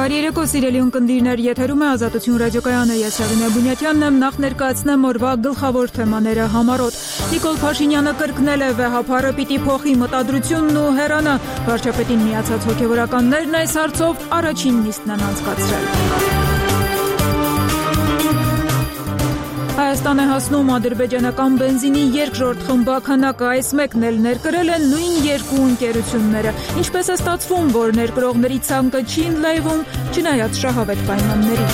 Բարերեկո սիրելի ունկնդիրներ, եթերում է Ազատություն ռադիոկայանը, ես Հեղինե Բունյաթյանն եմ, նախ ներկայացնեմ օրվա գլխավոր թեմաները համառոտ։ Նիկոլ Փաշինյանը կրկնել է վեհափառը պիտի փոխի մտադրությունն ու հեռանա։ Վարչապետին միացած հոգևորականներն այս հարցով առաջին նիստն են անցկացրել։ Հայաստան է հասնում ադրբեջանական բենզինի երկրորդ խմբականակը, այս մեկն էլ ներկրել են նույն երկու ընկերությունները։ Ինչպես է ստացվում, որ ներկրողների ցանկը չի ընդլայնվում, չնայած շահավետ պայմանների։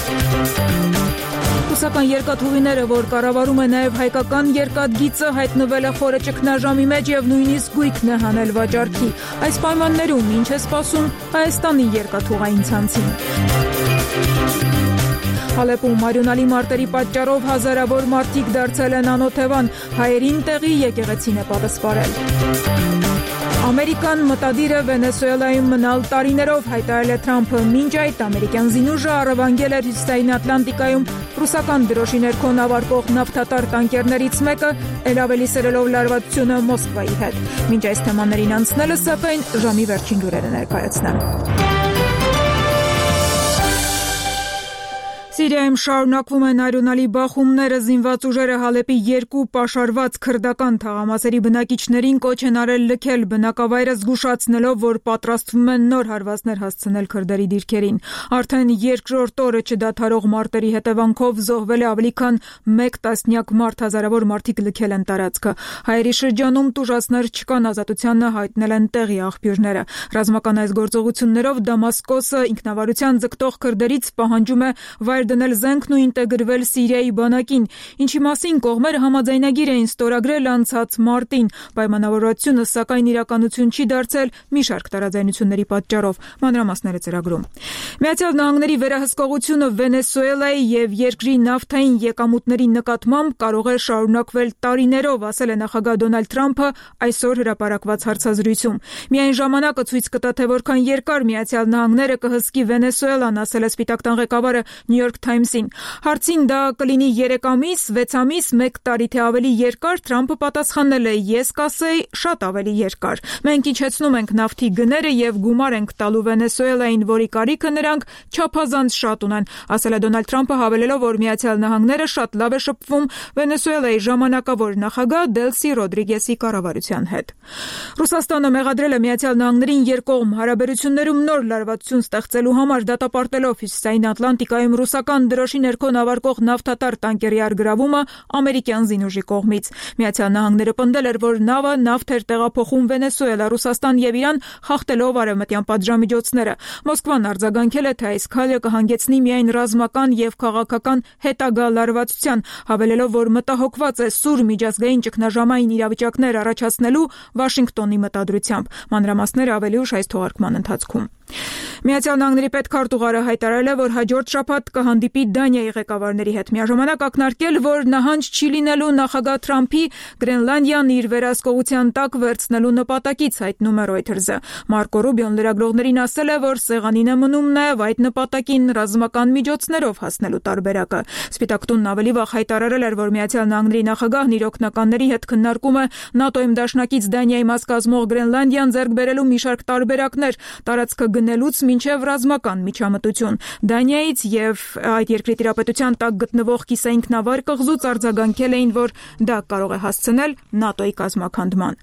Ռուսական երկաթուղիները, որ կառավարում է նաև հայկական երկաթգիծը, հայտնվել է խորը ճգնաժամի մեջ եւ նույնիսկ գույքն է հանել վաճառքի։ Այս պայմաններում ինչ է սպասում Հայաստանի երկաթուղային ցանցին։ Հալեպում մարյունալի մարտերի պատճառով հազարավոր մարդիկ դարձել են անօթևան, հայերին տեղի եկեղեցին է պատասխանել։ Ամերիկան մտադիր է Վենեսուելայում մնալ տարիներով, հայտարարել է Թրամփը, մինչ այդ ամերիկյան զինուժը առևանգել էր Հյուսիսային Ատլանտիկայում ռուսական դրոշի ներքո նավարկող նավթատար տանկերներից մեկը, ել ավելի սերելով լարվածությունը Մոսկվայի հետ։ Մինչ այս թեմաներին անցնելը սակայն ժամի վերջին լուրերը ներկայացնեմ։ Սիրիայում շարունակվում են արյունալի բախումները, զինված ուժերը Հալեպի երկու պաշարված քրդական թաղամասերի բնակիչներին կոչ են արել լքել բնակավայրը, զգուշացնելով, որ պատրաստվում են նոր հարվածներ հասցնել քրդերի դիրքերին։ Արդեն երկրորդ օրը չդադարող մարտերի հետևանքով զոհվել է ավելի քան 1 տասնյակ մարդ, հազարավոր մարդիկ լքել են տարածքը։ Հայերի շրջանում տուժածներ չկան, ազատությանը հայտնել են տեղի աղբյուրները։ Ռազմական այս գործողություններով Դամասկոսը ինքնավարության ձգտող քրդերից պահանջում է վայր դնել զենքն ու ինտեգրվել Սիրիայի բանակին, ինչի մասին կողմերը համաձայնագիր էին ստորագրել անցած մարտին։ Պայմանավորվածությունը սակայն իրականություն չի դարձել մի շարք տարաձայնությունների պատճառով։ Մանրամասները ծրագրում։ Միացյալ Նահանգների վերահսկողությունը Վենեսուելայի եւ երկրի նավթային եկամուտների նկատմամբ կարող է շարունակվել տարիներով, ասել է նախագահ Դոնալդ Թրամփը այսօր հրապարակված հարցազրույցում։ Միայն ժամանակը ցույց կտա, թե որքան երկար Միացյալ Նահանգները կհսկի Վենեսուելան, ասել է Սպիտակ տան ղեկավարը New York Times-ին։ Հարցին դա կլինի 3 ամիս, 6 ամիս, 1 տարի թե ավելի երկար, Թրամփը պատասխանել է. ես կասեի շատ ավելի երկար։ Մենք իջեցնում ենք նավթի գները եւ գումար ենք տալու Վենեսուելային, որի կարիքը նրանք չափազանց շատ ունեն, ասել է Դոնալդ Թրամփը, հավելելով, որ Միացյալ Նահանգները շատ լավ է շփվում Վենեսուելայի ժամանակավոր նախագահ Դելսի Ռոդրիգեսի կառավարության հետ։ Ռուսաստանը մեղադրել է Միացյալ Նահանգներին երկկողմ հարաբերություններում նոր լարվածություն ստեղծելու համար, դատապարտելով Հյուսիսային Ատլանտիկայում ռուսական դրոշի ներքո նավարկող նավթատար տանկերի արգրավումը ամերիկյան զինուժի կողմից։ Միացյալ Նահանգները պնդել էր, որ նավը նավթ էր տեղափոխում Վենեսուելա, Ռուսաստան եւ Իրան խախտելով արևմտյան պատժամիջոցները։ Մոսկվան արձագանքել է, թե այս քայլը կհանգեցնի միայն ռազմական եւ քաղաքական հետագա լարվածության, հավելելով, որ մտահոգված է սուր միջազգային ճգնաժամային իրավիճակներ առաջացնելու Վաշինգտոնի մտադրությամբ։ Մանրամասները ավելի ուշ այս թողարկման ընթացքում։ Միացյալ Նահանգների պետքարտուղարը հայտարարել է, որ հաջորդ շաբաթ կհանդիպի Դանիայի ղեկավարների հետ, միաժամանակ ակնարկել, որ նահանջ չի լինելու նախագահ Թրամփի Գրենլանդիան իր վերահսկողության տակ վերցնելու նպատակից, հայտնում է Reuters-ը։ Մարկո Ռուբիոն լրագրողներին ասել է, որ սեղանին է մնում նաև այդ նպատակին ռազմական միջոցներով հասնելու տարբերակը։ Սպիտակ տունն ավելի վաղ հայտարարել էր, որ Միացյալ Նահանգների նախագահն իր օգնականների հետ քննարկում է ՆԱՏՕ-ում դաշնակից Դանիայի մաս կազմող Գրենլանդիան ձեռք բերելու մի շարք տարբերակներ, տարածքը գնելուց մինչև ռազմական միջամտություն։ Դանիայից եւ այդ երկրի տիրապետության տակ գտնվող կիսաինքնավար կղզուց արձագանքել էին, որ դա կարող է հասցնել ՆԱՏՕ-ի կազմաքանդման։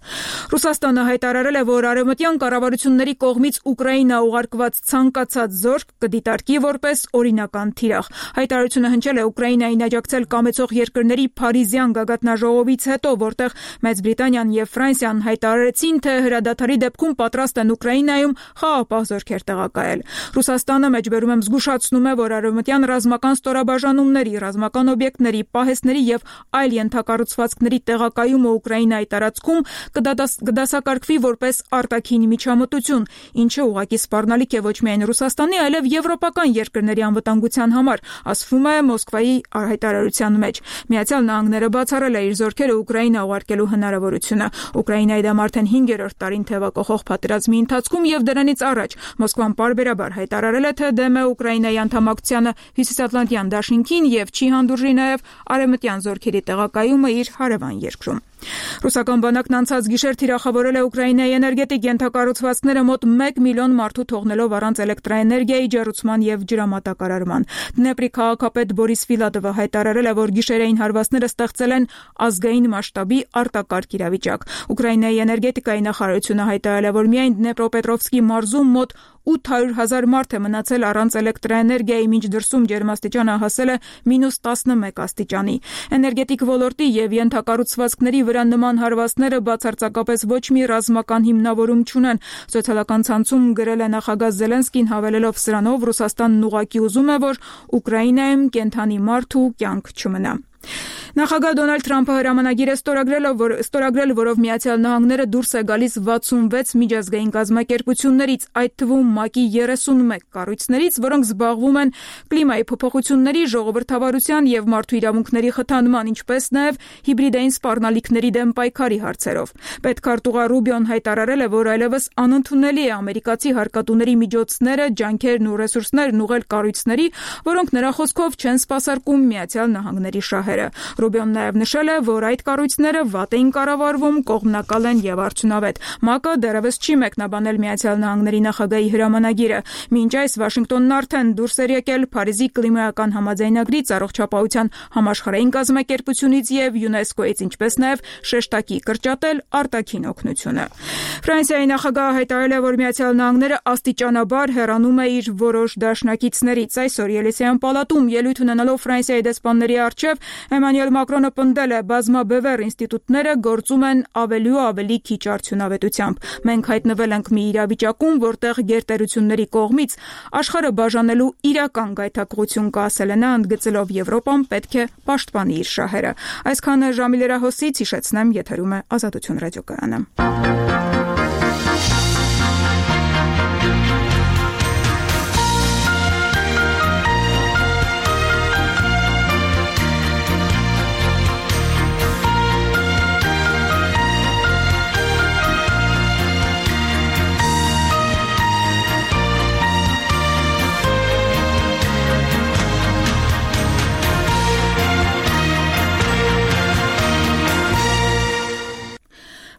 Ռուսաստանը հայտարարել է, որ արևմտյան կառավարությունների կողմից Ուկրաինա ուղարկված ցանկացած զորք կդիտարկի որպես օրինական թիրախ։ Հայտարարությունը հնչել է Ուկրաինային աջակցել կամեցող երկրների Փարիզյան գագաթնաժողովից հետո, որտեղ Մեծ Բրիտանիան եւ Ֆրանսիան հայտարարեցին, թե հրադադարի դեպքում պատրաստ են Ուկրաինայում խաղաղապահ զորքեր տեղակայել։ Ռուսաստանը մեջբերում եմ զգուշացնում է, որ արևմտյան ռազմական ստորաբաժանումների, ռազմական օբյեկտների, պահեստների եւ այլ ենթակառուցվածքների տեղակայումը Ուկրաինայի տարածքում կդասակարգվի որպես արտաքին միջամտություն, ինչը ուղղակի սպառնալիք է ոչ միայն Ռուսաստանի, այլև եվրոպական երկրների անվտանգության համար, ասվում է Մոսկվայի հայտարարության մեջ։ Միացյալ Նահանգները բացառել է իր զորքերը Ուկրաինա ուղարկելու հնարավորությունը։ Ուկրաինայի դեմ արդեն 5-րդ տարին թևակողող պատերազմի ընթացքում եւ դրանից առաջ Մոսկվան պարբերաբար հայտարարել է, թե դեմ է Ուկրաինայի անդամակցությանը Հյուսիսատլանտյան դաշինքին եւ չի հանդուրժի նաեւ արևմտյան զորքերի տեղակայումը իր հարևան երկրում։ Ռուսական բանակն անցած գիշեր թիրախավորել է Ուկրաինայի էներգետիկ ենթակառուցվածքները մոտ 1 միլիոն մարդու թողնելով առանց էլեկտրաէներգիայի, ջեռուցման և ջրամատակարարման։ Դնեպրի քաղաքապետ Բորիս Ֆիլատովը հայտարարել է, որ գիշերային հարվածները ստեղծել են ազգային մասշտաբի արտակարգ իրավիճակ։ Ուկրաինայի էներգետիկայի նախարարությունը հայտարարել է, որ միայն Դնեպրոպետրովսկի մարզում մոտ 800,000 մարդ է մնացել առանց էլեկտրաէներգիայի, մինչ դրսում ջերմաստիճանը հասել է -11 աստիճանի։ Էներգետիկ ոլորտի և ենթակառուցվածքների վրա նման հարվածները բացարձակապես ոչ մի ռազմական հիմնավորում չունեն։ Սոցիալական ցանցում գրել է նախագահ Զելենսկին, հավելելով սրանով Ռուսաստանն ուղղակի ուզում է, որ Ուկրաինայում կենդանի մարդ ու կյանք չմնա։ Նախագահ Դոնալդ Թրամփը հրամանագիր է ստորագրել, որով Միացյալ Նահանգները դուրս է գալիս 66 միջազգային կազմակերպություններից, այդ թվում ՄԱԿ-ի 31 կառույցներից, որոնք զբաղվում են կլիմայի փոփոխությունների, ժողովրդավարության և մարդու իրավունքների խթանման, ինչպես նաև հիբրիդային սպառնալիքների դեմ պայքարի հարցերով։ Պետքարտուղար Ռուբիոն հայտարարել է, որ այլևս անընդունելի է ամերիկացի հարկատուների միջոցները, ջանքերն ու ռեսուրսներն ուղղել կառույցների, որոնք նրա խոսքով չեն սպասարկում Միացյալ Նահանգների շահերը։ Ռուբիոն նաև նշել է, որ այդ կառույցները վատ էին կառավարվում, կողմնակալ են և արդյունավետ։ ՄԱԿ-ը դեռևս չի մեկնաբանել Միացյալ Նահանգների նախագահի հրամանագիրը։ Մինչ այս Վաշինգտոնն արդեն դուրս էր եկել Փարիզի կլիմայական համաձայնագրից, Առողջապահության համաշխարհային կազմակերպությունից և ՅՈՒՆԵՍԿՕ-ից, ինչպես նաև շեշտակի կրճատել արտաքին օգնությունը։ Ֆրանսիայի նախագահը հայտարարել է, որ Միացյալ Նահանգները աստիճանաբար հեռանում է իր որոշ դաշնակիցներից։ Այսօր Ելիսեյան պալատում ելույթ ունենալով Ֆրանսիայի դեսպանների առջև Էմանուել Մակրոնը պնդել է, բազմաբևեռ ինստիտուտները գործում են ավելի ու ավելի քիչ արդյունավետությամբ։ Մենք հայտնվել ենք մի իրավիճակում, որտեղ գերտերությունների կողմից աշխարհը բաժանելու իրական գայթակղություն կա, ասել է նա, ընդգծելով Եվրոպան պետք է պաշտպանի իր շահերը։ Այսքանը ժամի լրահոսից, հիշեցնեմ, եթերում է Ազատություն ռադիոկայանը։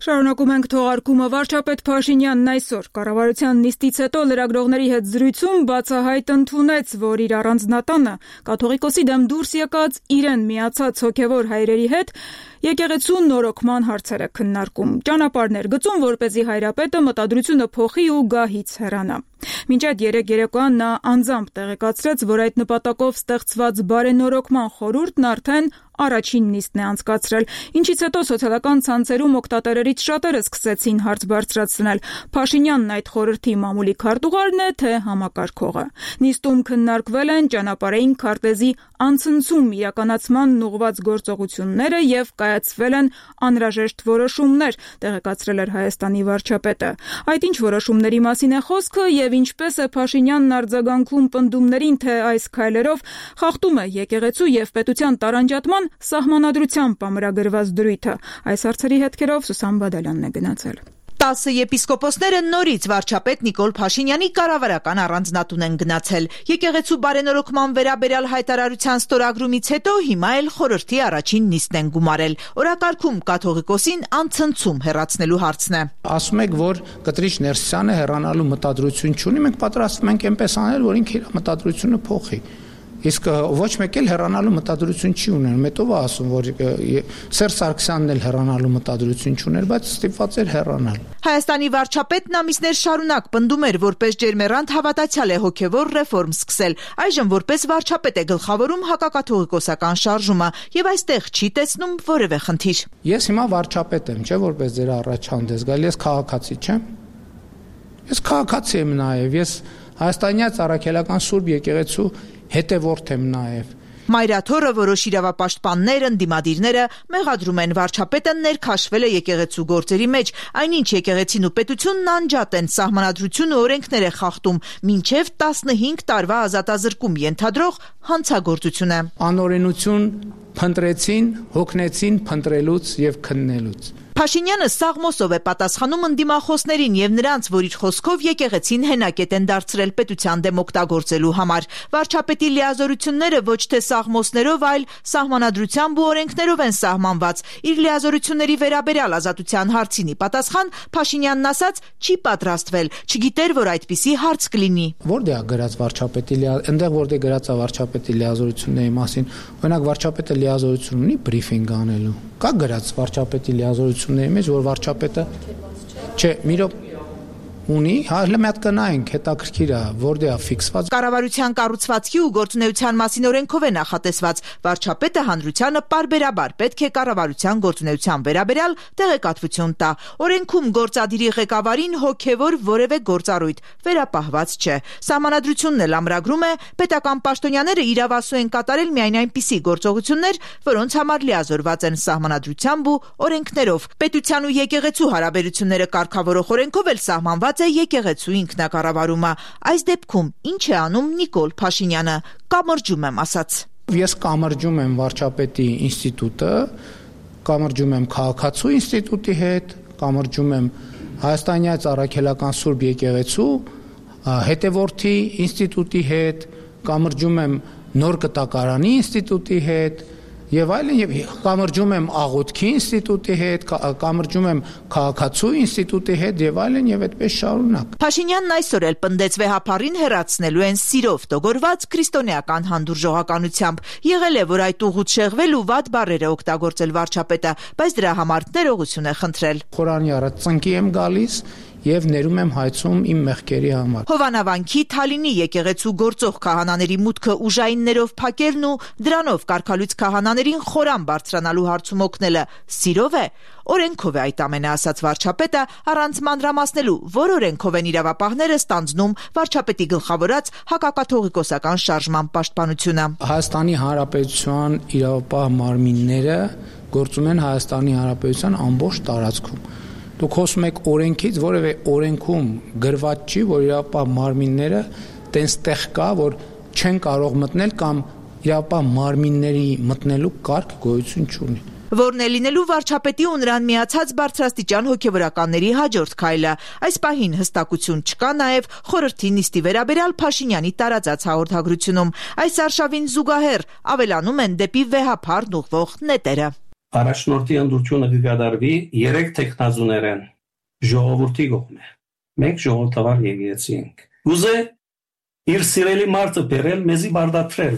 Շարունակում ենք թողարկումը։ Վարչապետ Փաշինյանն այսօր կառավարության նիստից հետո լրագրողների հետ զրույցում բացահայտ ընդունեց, որ իր առանձնատանը կաթողիկոսի դեմ դուրս եկած իրեն միացած հոգևոր հայրերի հետ եկեղեցու նորոգման հարցերը քննարկում, ճանապարհներ գծում, որպեսզի հայրապետը մտադրությունը փոխի ու գահից հեռանա։ Մինչ այդ երեկոյան նա անձամբ տեղեկացրեց, որ այդ նպատակով ստեղծված բարենորոգման խորհուրդն արդեն առաջին նիստն է անցկացրել, ինչից հետո սոցիալական ցանցերում օգտատերերից շատերը սկսեցին հարց բարձրացնել. Փաշինյանն այդ խորհրդի մամուլի քարտուղարն է, թե համակարգողը։ Նիստում քննարկվել են ճանապարհային քարտեզի անցնցում իրականացման ուղղված գործողությունները և կայացվել են անհրաժեշտ որոշումներ, տեղեկացրել էր Հայաստանի վարչապետը։ Այդ ինչ որոշումների մասին է խոսքը և ինչպես է Փաշինյանն արձագանքում պնդումներին, թե այս քայլերով խախտում է եկեղեցու և պետության տարանջատման սահմանադրությամբ ամրագրված դրույթը։ Այս հարցերի հետքերով Սուսան Բադալյանն է գնացել։ 10 եպիսկոպոսները նորից վարչապետ Նիկոլ Փաշինյանի կառավարական առանձնատուն են գնացել։ Եկեղեցու բարենորոգման վերաբերյալ հայտարարության ստորագրումից հետո հիմա էլ խորհրդի առաջին նիստն են գումարել։ Օրակարգում կաթողիկոսին անցնցում հեռացնելու հարցն է։ Ասում եք, որ Կտրիչ Ներսիսյանը հեռանալու մտադրություն չունի, մենք պատրաստվում ենք այնպես անել, որ ինքը իր մտադրությունը փոխի։ Իսկ ոչ մեկ էլ հեռանալու մտադրություն չի ունենում։ Հետո ասում, որ Սերժ Սարգսյանն էլ հեռանալու մտադրություն չուներ, բայց ստիպված էր հեռանալ։ Հայաստանի վարչապետն ամիսներ շարունակ պնդում էր, որպես ջերմեռանդ հավատացյալ է հոգևոր ռեֆորմ սկսել։ Այժմ որպես վարչապետ է գլխավորում հակակաթողիկոսական շարժումը եւ այստեղ չի տեսնում որևէ խնդիր։ Ես հիմա վարչապետ եմ, չէ՞, որպես ձեր առաջ հանդես գալ, ես քաղաքացի չեմ։ Ես քաղաքացի եմ նաեւ, ես հայաստանյաց առաքելական Սուրբ եկեղեցու հետևորդ եմ նաև։ Մայրաթորը որոշ իրավապաշտպաններ, ընդդիմադիրները մեղադրում են վարչապետը ներքաշվել է եկեղեցու գործերի մեջ, այնինչ եկեղեցին ու պետությունն անջատ են, սահմանադրությունը օրենքներ է խախտում, մինչև 15 տարվա ազատազրկում ենթադրող հանցագործություն է։ Անօրենություն փնտրեցին, հոգնեցին փնտրելուց եւ քննելուց։ Փաշինյանը սաղմոսով է պատասխանում ընդդիմախոսներին եւ նրանց, որ իր խոսքով եկեղեցին հենակետ են դարձրել պետության դեմ օգտագործելու համար։ Վարչապետի լիազորությունները ոչ թե սաղմոսներով, այլ սահմանադրությամբ ու օրենքներով են սահմանված։ Իր լիազորությունների վերաբերյալ Ազատության հարցինի պատասխան Փաշինյանն ասաց՝ չի պատրաստվել, չգիտեր, որ այդպիսի հարց կլինի։ Որտե՞ղ է գրած վարչապետի այնտեղ որտեղ գրած է վարչապետի լիազորությունների մասին, օրինակ վարչապետը լիազորություն ունի բրիֆինգ անելու։ Կա գրած վարչապետի լիազորությունների մեջ, որ վարչապետը չէ, միրոք ունի, հələ մի հատ կնայենք, հետաքրքիր է, որտե է ֆիքսված։ Կառավարության կառուցվածքի ու գործունեության մասին օրենքով է նախատեսված։ Վարչապետը հանրությանը պարբերաբար պետք է կառավարության գործունեության վերաբերյալ տեղեկատվություն տա։ Օրենքում գործադիրի ղեկավարին հոգևոր որևէ գործառույթ վերապահված չէ։ Սահմանադրությունն էլ ամրագրում է պետական պաշտոնյաները իրավասու են կատարել միայն այնպիսի գործողություններ, որոնց համար լիազորված են սահմանադրությամբ ու օրենքներով։ Պետության ու եկեղեցու հարաբերությունները կարգավորող օրենքով էլ սահմանված է եկեղեցու ինքնակառավարումը։ Այս դեպքում ինչ է անում Նիկոլ Փաշինյանը։ Կամրջում եմ ասաց։ Ես կամրջում եմ վարչապետի ինստիտուտը, կամրջում եմ քաղաքացու ինստիտուտի հետ, կամրջում եմ Հայաստանյան Առաքելական Սուրբ եկեղեցու հետևորդի ինստիտուտի հետ, կամրջում եմ Նոր կտակարանի ինստիտուտի հետ եւ այլն, եւ կամրջում եմ աղոթքի ինստիտուտի հետ, կամրջում եմ քաղաքացու ինստիտուտի հետ եւ այլն, եւ այդպես շարունակ։ Փաշինյանն այսօր էլ պնդեց վեհապարին հեռացնելու են սիրով տողորված քրիստոնեական հանդուրժողականությամբ։ Եղել է, որ այդ ուղուց շեղվել ու վատ բառեր է օգտագործել վարչապետը, բայց դրա համար ներողություն է խնդրել։ Խորանի առաջ ծնկի եմ գալիս եւ ներում եմ հայցում իմ մեղքերի համար։ Հովանավանքի Թալինի եկեղեցու գործող քահանաների մուտքը ուժայիններով փակելն ու դրանով կարգալույց քահանաներին խորան բարձրանալու հարցում օգնելը սիրով է։ Օրենքով է այդ ամենը, ասաց վարչապետը, առանց մանրամասնելու, որ օրենքով են իրավապահները ստանձնում վարչապետի գլխավորած հակակաթողիկոսական շարժման պաշտպանությունը։ Հայաստանի Հանրապետության իրավապահ մարմինները գործում են Հայաստանի Հանրապետության ամբողջ տարածքում։ Դուք խոսում եք օրենքից, որևէ օրենքում գրված չի, որ իրավապահ մարմինները տենստեղ կա, որ չեն կարող մտնել կամ իրավապահ մարմինների մտնելու կարգ գոյություն չունի։ Որն է լինելու վարչապետի ու նրան միացած բարձրաստիճան հոգևորականների հաջորդ քայլը։ Այս պահին հստակություն չկա նաև խորհրդի նիստի վերաբերյալ Փաշինյանի տարածած հաղորդագրությունում։ Այս արշավին զուգահեռ ավելանում են դեպի վեհապարն ուղղվող նետերը։ Առաջնորդի ընդրությունը կգադարվի 3 տեխնազուներեն ժողովրդի կողմէ։ Մենք ժողովրդավար եկեղեցի ենք։ Ուզե իր սիրելի մարդը բերել մեզի բարդացրել։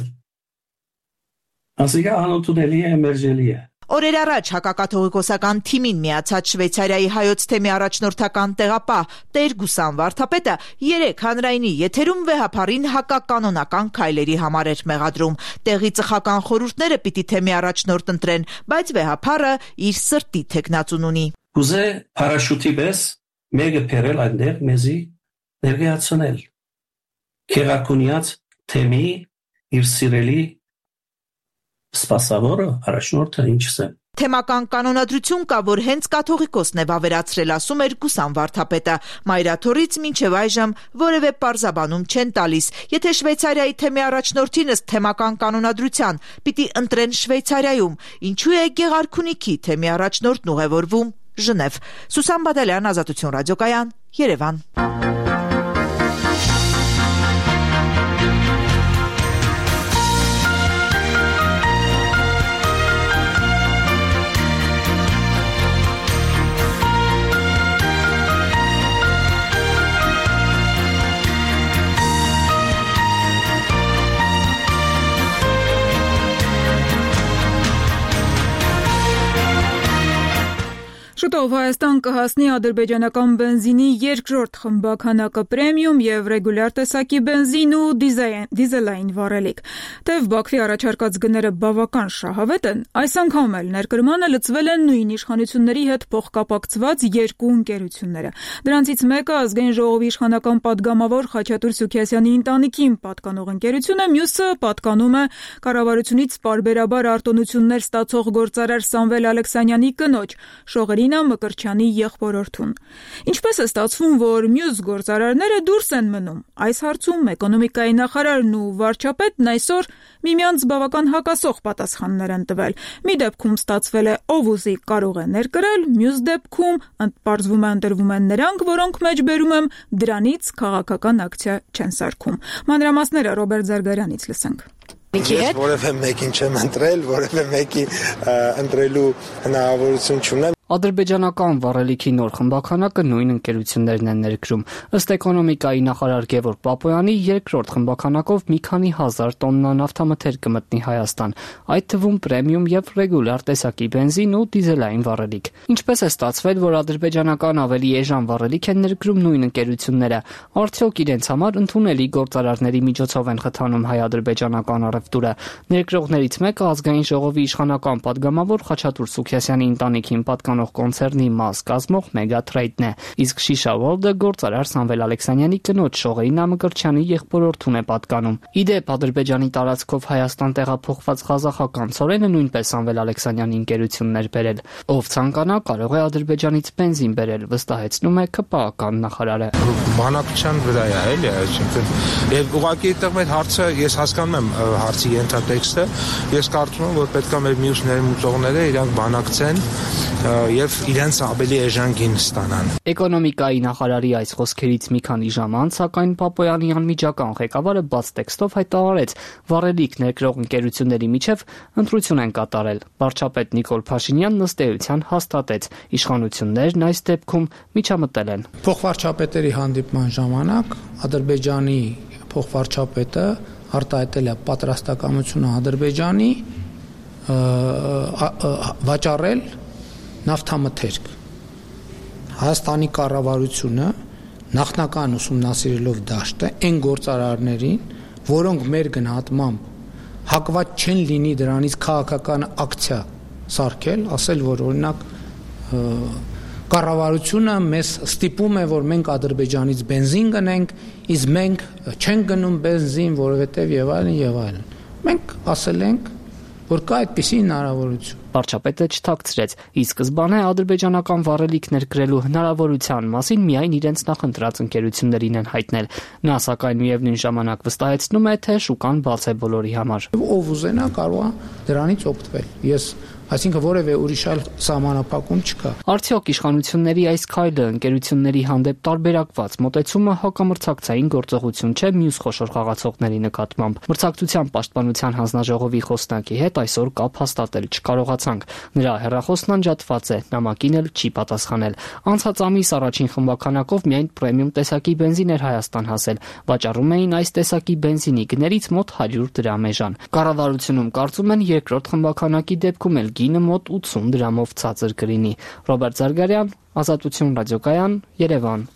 Ասիկա անօթունելի է, մերժելի է։ Օրեր առաջ հակակաթողիկոսական թիմին միացած Շվեյցարիայի հայոց թեմի առաջնորդական տեղապահ Տեր Գուսան վարդապետը 3 հանրայինի եթերում վեհապարին հակականոնական քայլերի համար էր մեղադրում։ Տեղի ծխական խորհուրդները պիտի թեմի առաջնորդ ընտրեն, բայց վեհապարը իր սրտի թեկնածուն ունի։ Ուզե փարաշուտի պես մեկը բերել այնտեղ մեզի ներկայացնել։ Քերակունյաց թեմի իր սիրելի սպասավորը առաջնորդը ինչս է։ Թեմական կանոնադրություն կա, որ հենց կաթողիկոսն է վավերացրել, ասում էր Գուսան վարդապետը։ Մայրաթորից մինչև այժմ որևէ պարզաբանում չեն տալիս։ Եթե Շվեյցարիայի թեմի առաջնորդին ըստ թեմական կանոնադրության պիտի ընտրեն Շվեյցարիայում, ինչու է Գեղարքունիքի թեմի առաջնորդն ուղևորվում Ժնև։ Սուսան Բադալյան, Ազատություն ռադիոկայան, Երևան։ Շուտով Հայաստան կհասնի ադրբեջանական բենզինի երկրորդ խմբաքանակը պրեմիում եւ ռեգուլյար տեսակի բենզին ու դիզելային վառելիք։ Թեև Բաքվի առաջարկած գները բավական շահավետ են, այս անգամ էլ ներկրմանը լծվել են նույն իշխանությունների հետ փոխկապակցված երկու ընկերությունները։ Դրանցից մեկը Ազգային ժողովի իշխանական падգամավոր Խաչատուր Սուքիասյանի ընտանիքին պատկանող ընկերություն է, մյուսը պատկանում է կառավարությունից պարբերաբար արտոնություններ ստացող գործարար Սամվել Ալեքսանյանի կնոջ Շողերինա Մկրտչյանի եղբորորդուն։ Ինչպես է ստացվում, որ մյուս գործարարները դուրս են մնում։ Այս հարցում էկոնոմիկայի նախարարն ու վարչապետն այսօր միմյանց բավական հակասող պատասխաններ են տվել։ Մի դեպքում ստացվել է ով ուզի կարող է ներկրել, մյուս դեպքում պարզվում է ընտրվում են նրանք, որոնք մեջբերում եմ դրանից քաղաքական ակցիա չեն սարքում։ Մանրամասները Ռոբերտ Զարգարյանից լսենք։ Ես որևէ մեկին չեմ ընտրել, որևէ մեկի ընտրելու հնարավորություն չունեմ։ Ադրբեջանական վառելիքի նոր խմբականակը նույն ընկերություններն են ներկրում։ Ըստ էկոնոմիկայի նախարար Գևորգ Պապոյանի, երկրորդ խմբականակով մի քանի հազար տոննա նավթամթեր կմտնի Հայաստան, այդ թվում պրեմիում եւ ռեգուլյար տեսակի բենզին ու դիզելային վառելիք։ Ինչպես է ստացվել, որ ադրբեջանական ավելի էժան վառելիք են ներկրում նույն ընկերությունները, արդյոք իրենց համար ընդունելի գործարարների միջոցով են խթանում հայ-ադրբեջանական առևտուրը։ Ներկրողներից մեկը ազգային ժողովի իշխանական падգամավոր Խաչատուր Սուքիասյանի ընտանիքին պատկանող կոնցերնի մաս կազմող Մեգատրեյդն է, իսկ Շիշա World-ը գործարար Սամվել Ալեքսանյանի կնոջ Շողեյնա Մկրտչյանի եղբորորդուն է պատկանում։ Իդեպ Ադրբեջանի տարածքով Հայաստան տեղափոխված ղազախական ցորենը նույնպես Սամվել Ալեքսանյանի ընկերությունն էր բերել։ Ով ցանկանա կարող է Ադրբեջանից բենզին բերել, վստահեցնում է ԿՊԱ-ական նախարարը։ Բանակցության վրա է, էլի, այսինքն եւ ուղղակի այդտեղ մեր հարցը ես հասկանում եմ հարցի ենթատեքստը, ես կարծում եմ, որ պետք է մեր մյուս ներմուծողները իրանք բանակցեն եւ իրենց ավելի էժան գին ստանան։ Էկոնոմիկայի նախարարի այս խոսքերից մի քանի ժամ անց, սակայն Պապոյանի անմիջական ղեկավարը բաց տեքստով հայտարարեց, վառելիք ներկրող ընկերությունների միջև ընտրություն են կատարել։ Վարչապետ Նիկոլ Փաշինյանն ըստ էության հաստատեց, իշխանություններն այս դեպքում միջամտել են։ Փոխվարչապետերի հանդիպման ժամանակ Ադրբեջանի փոխվարչապետը արտահայտել է պատրաստակամությունը Ադրբեջանի վաճառել նավթամթերք։ Հայաստանի կառավարությունը նախնական ուսումնասիրելով դաշտը այն գործարարներին, որոնք մեր գնահատմամբ հակված չեն լինի դրանից քաղաքական ակցիա սարքել, ասել, որ օրինակ կառավարությունը մեզ ստիպում է, որ մենք Ադրբեջանից բենզին գնենք, իսկ մենք չենք գնում բենզին, որովհետև եւ այլն։ Մենք ասել ենք, որ կա այդպիսի հնարավորություն։ Վարչապետը չթաքցրեց, ի սկզբանե ադրբեջանական վառելիք ներկրելու հնարավորության մասին միայն իրենց նախընտրած ընկերություններին են հայտնել։ Նա սակայն միևնույն ժամանակ վստահեցնում է, թե շուկան բաց է բոլորի համար։ Ով ուզենա կարող է դրանից օգտվել։ Այսինքն որևէ ուրիշ այլ սահմանափակում չկա։ Արդյոք իշխանությունների այս քայլը ընկերությունների հանդեպ տարբերակված մոտեցումը հակամրցակցային գործողություն չէ մյուս խոշոր խաղացողների նկատմամբ։ Մրցակցության պաշտպանության հանձնաժողովի խոսնակի հետ այսօր կապ հաստատել չկարողացանք։ Նրա հեռախոսն անջատված է, նամակին էլ չի պատասխանել։ Անցած ամիս առաջին խմբականակով միայն պրեմիում տեսակի բենզին էր Հայաստան հասել։ Վաճառում էին այս տեսակի բենզինի գներից մոտ 100 դրամ էժան։ Կառավարությունում կարծում են երկրորդ խմբականակի դեպքում էլ գինը մոտ 80 դրամով ցածր կլինի։ Ռոբերտ Զարգարյան, Ազատություն ռադիոկայան, Երևան։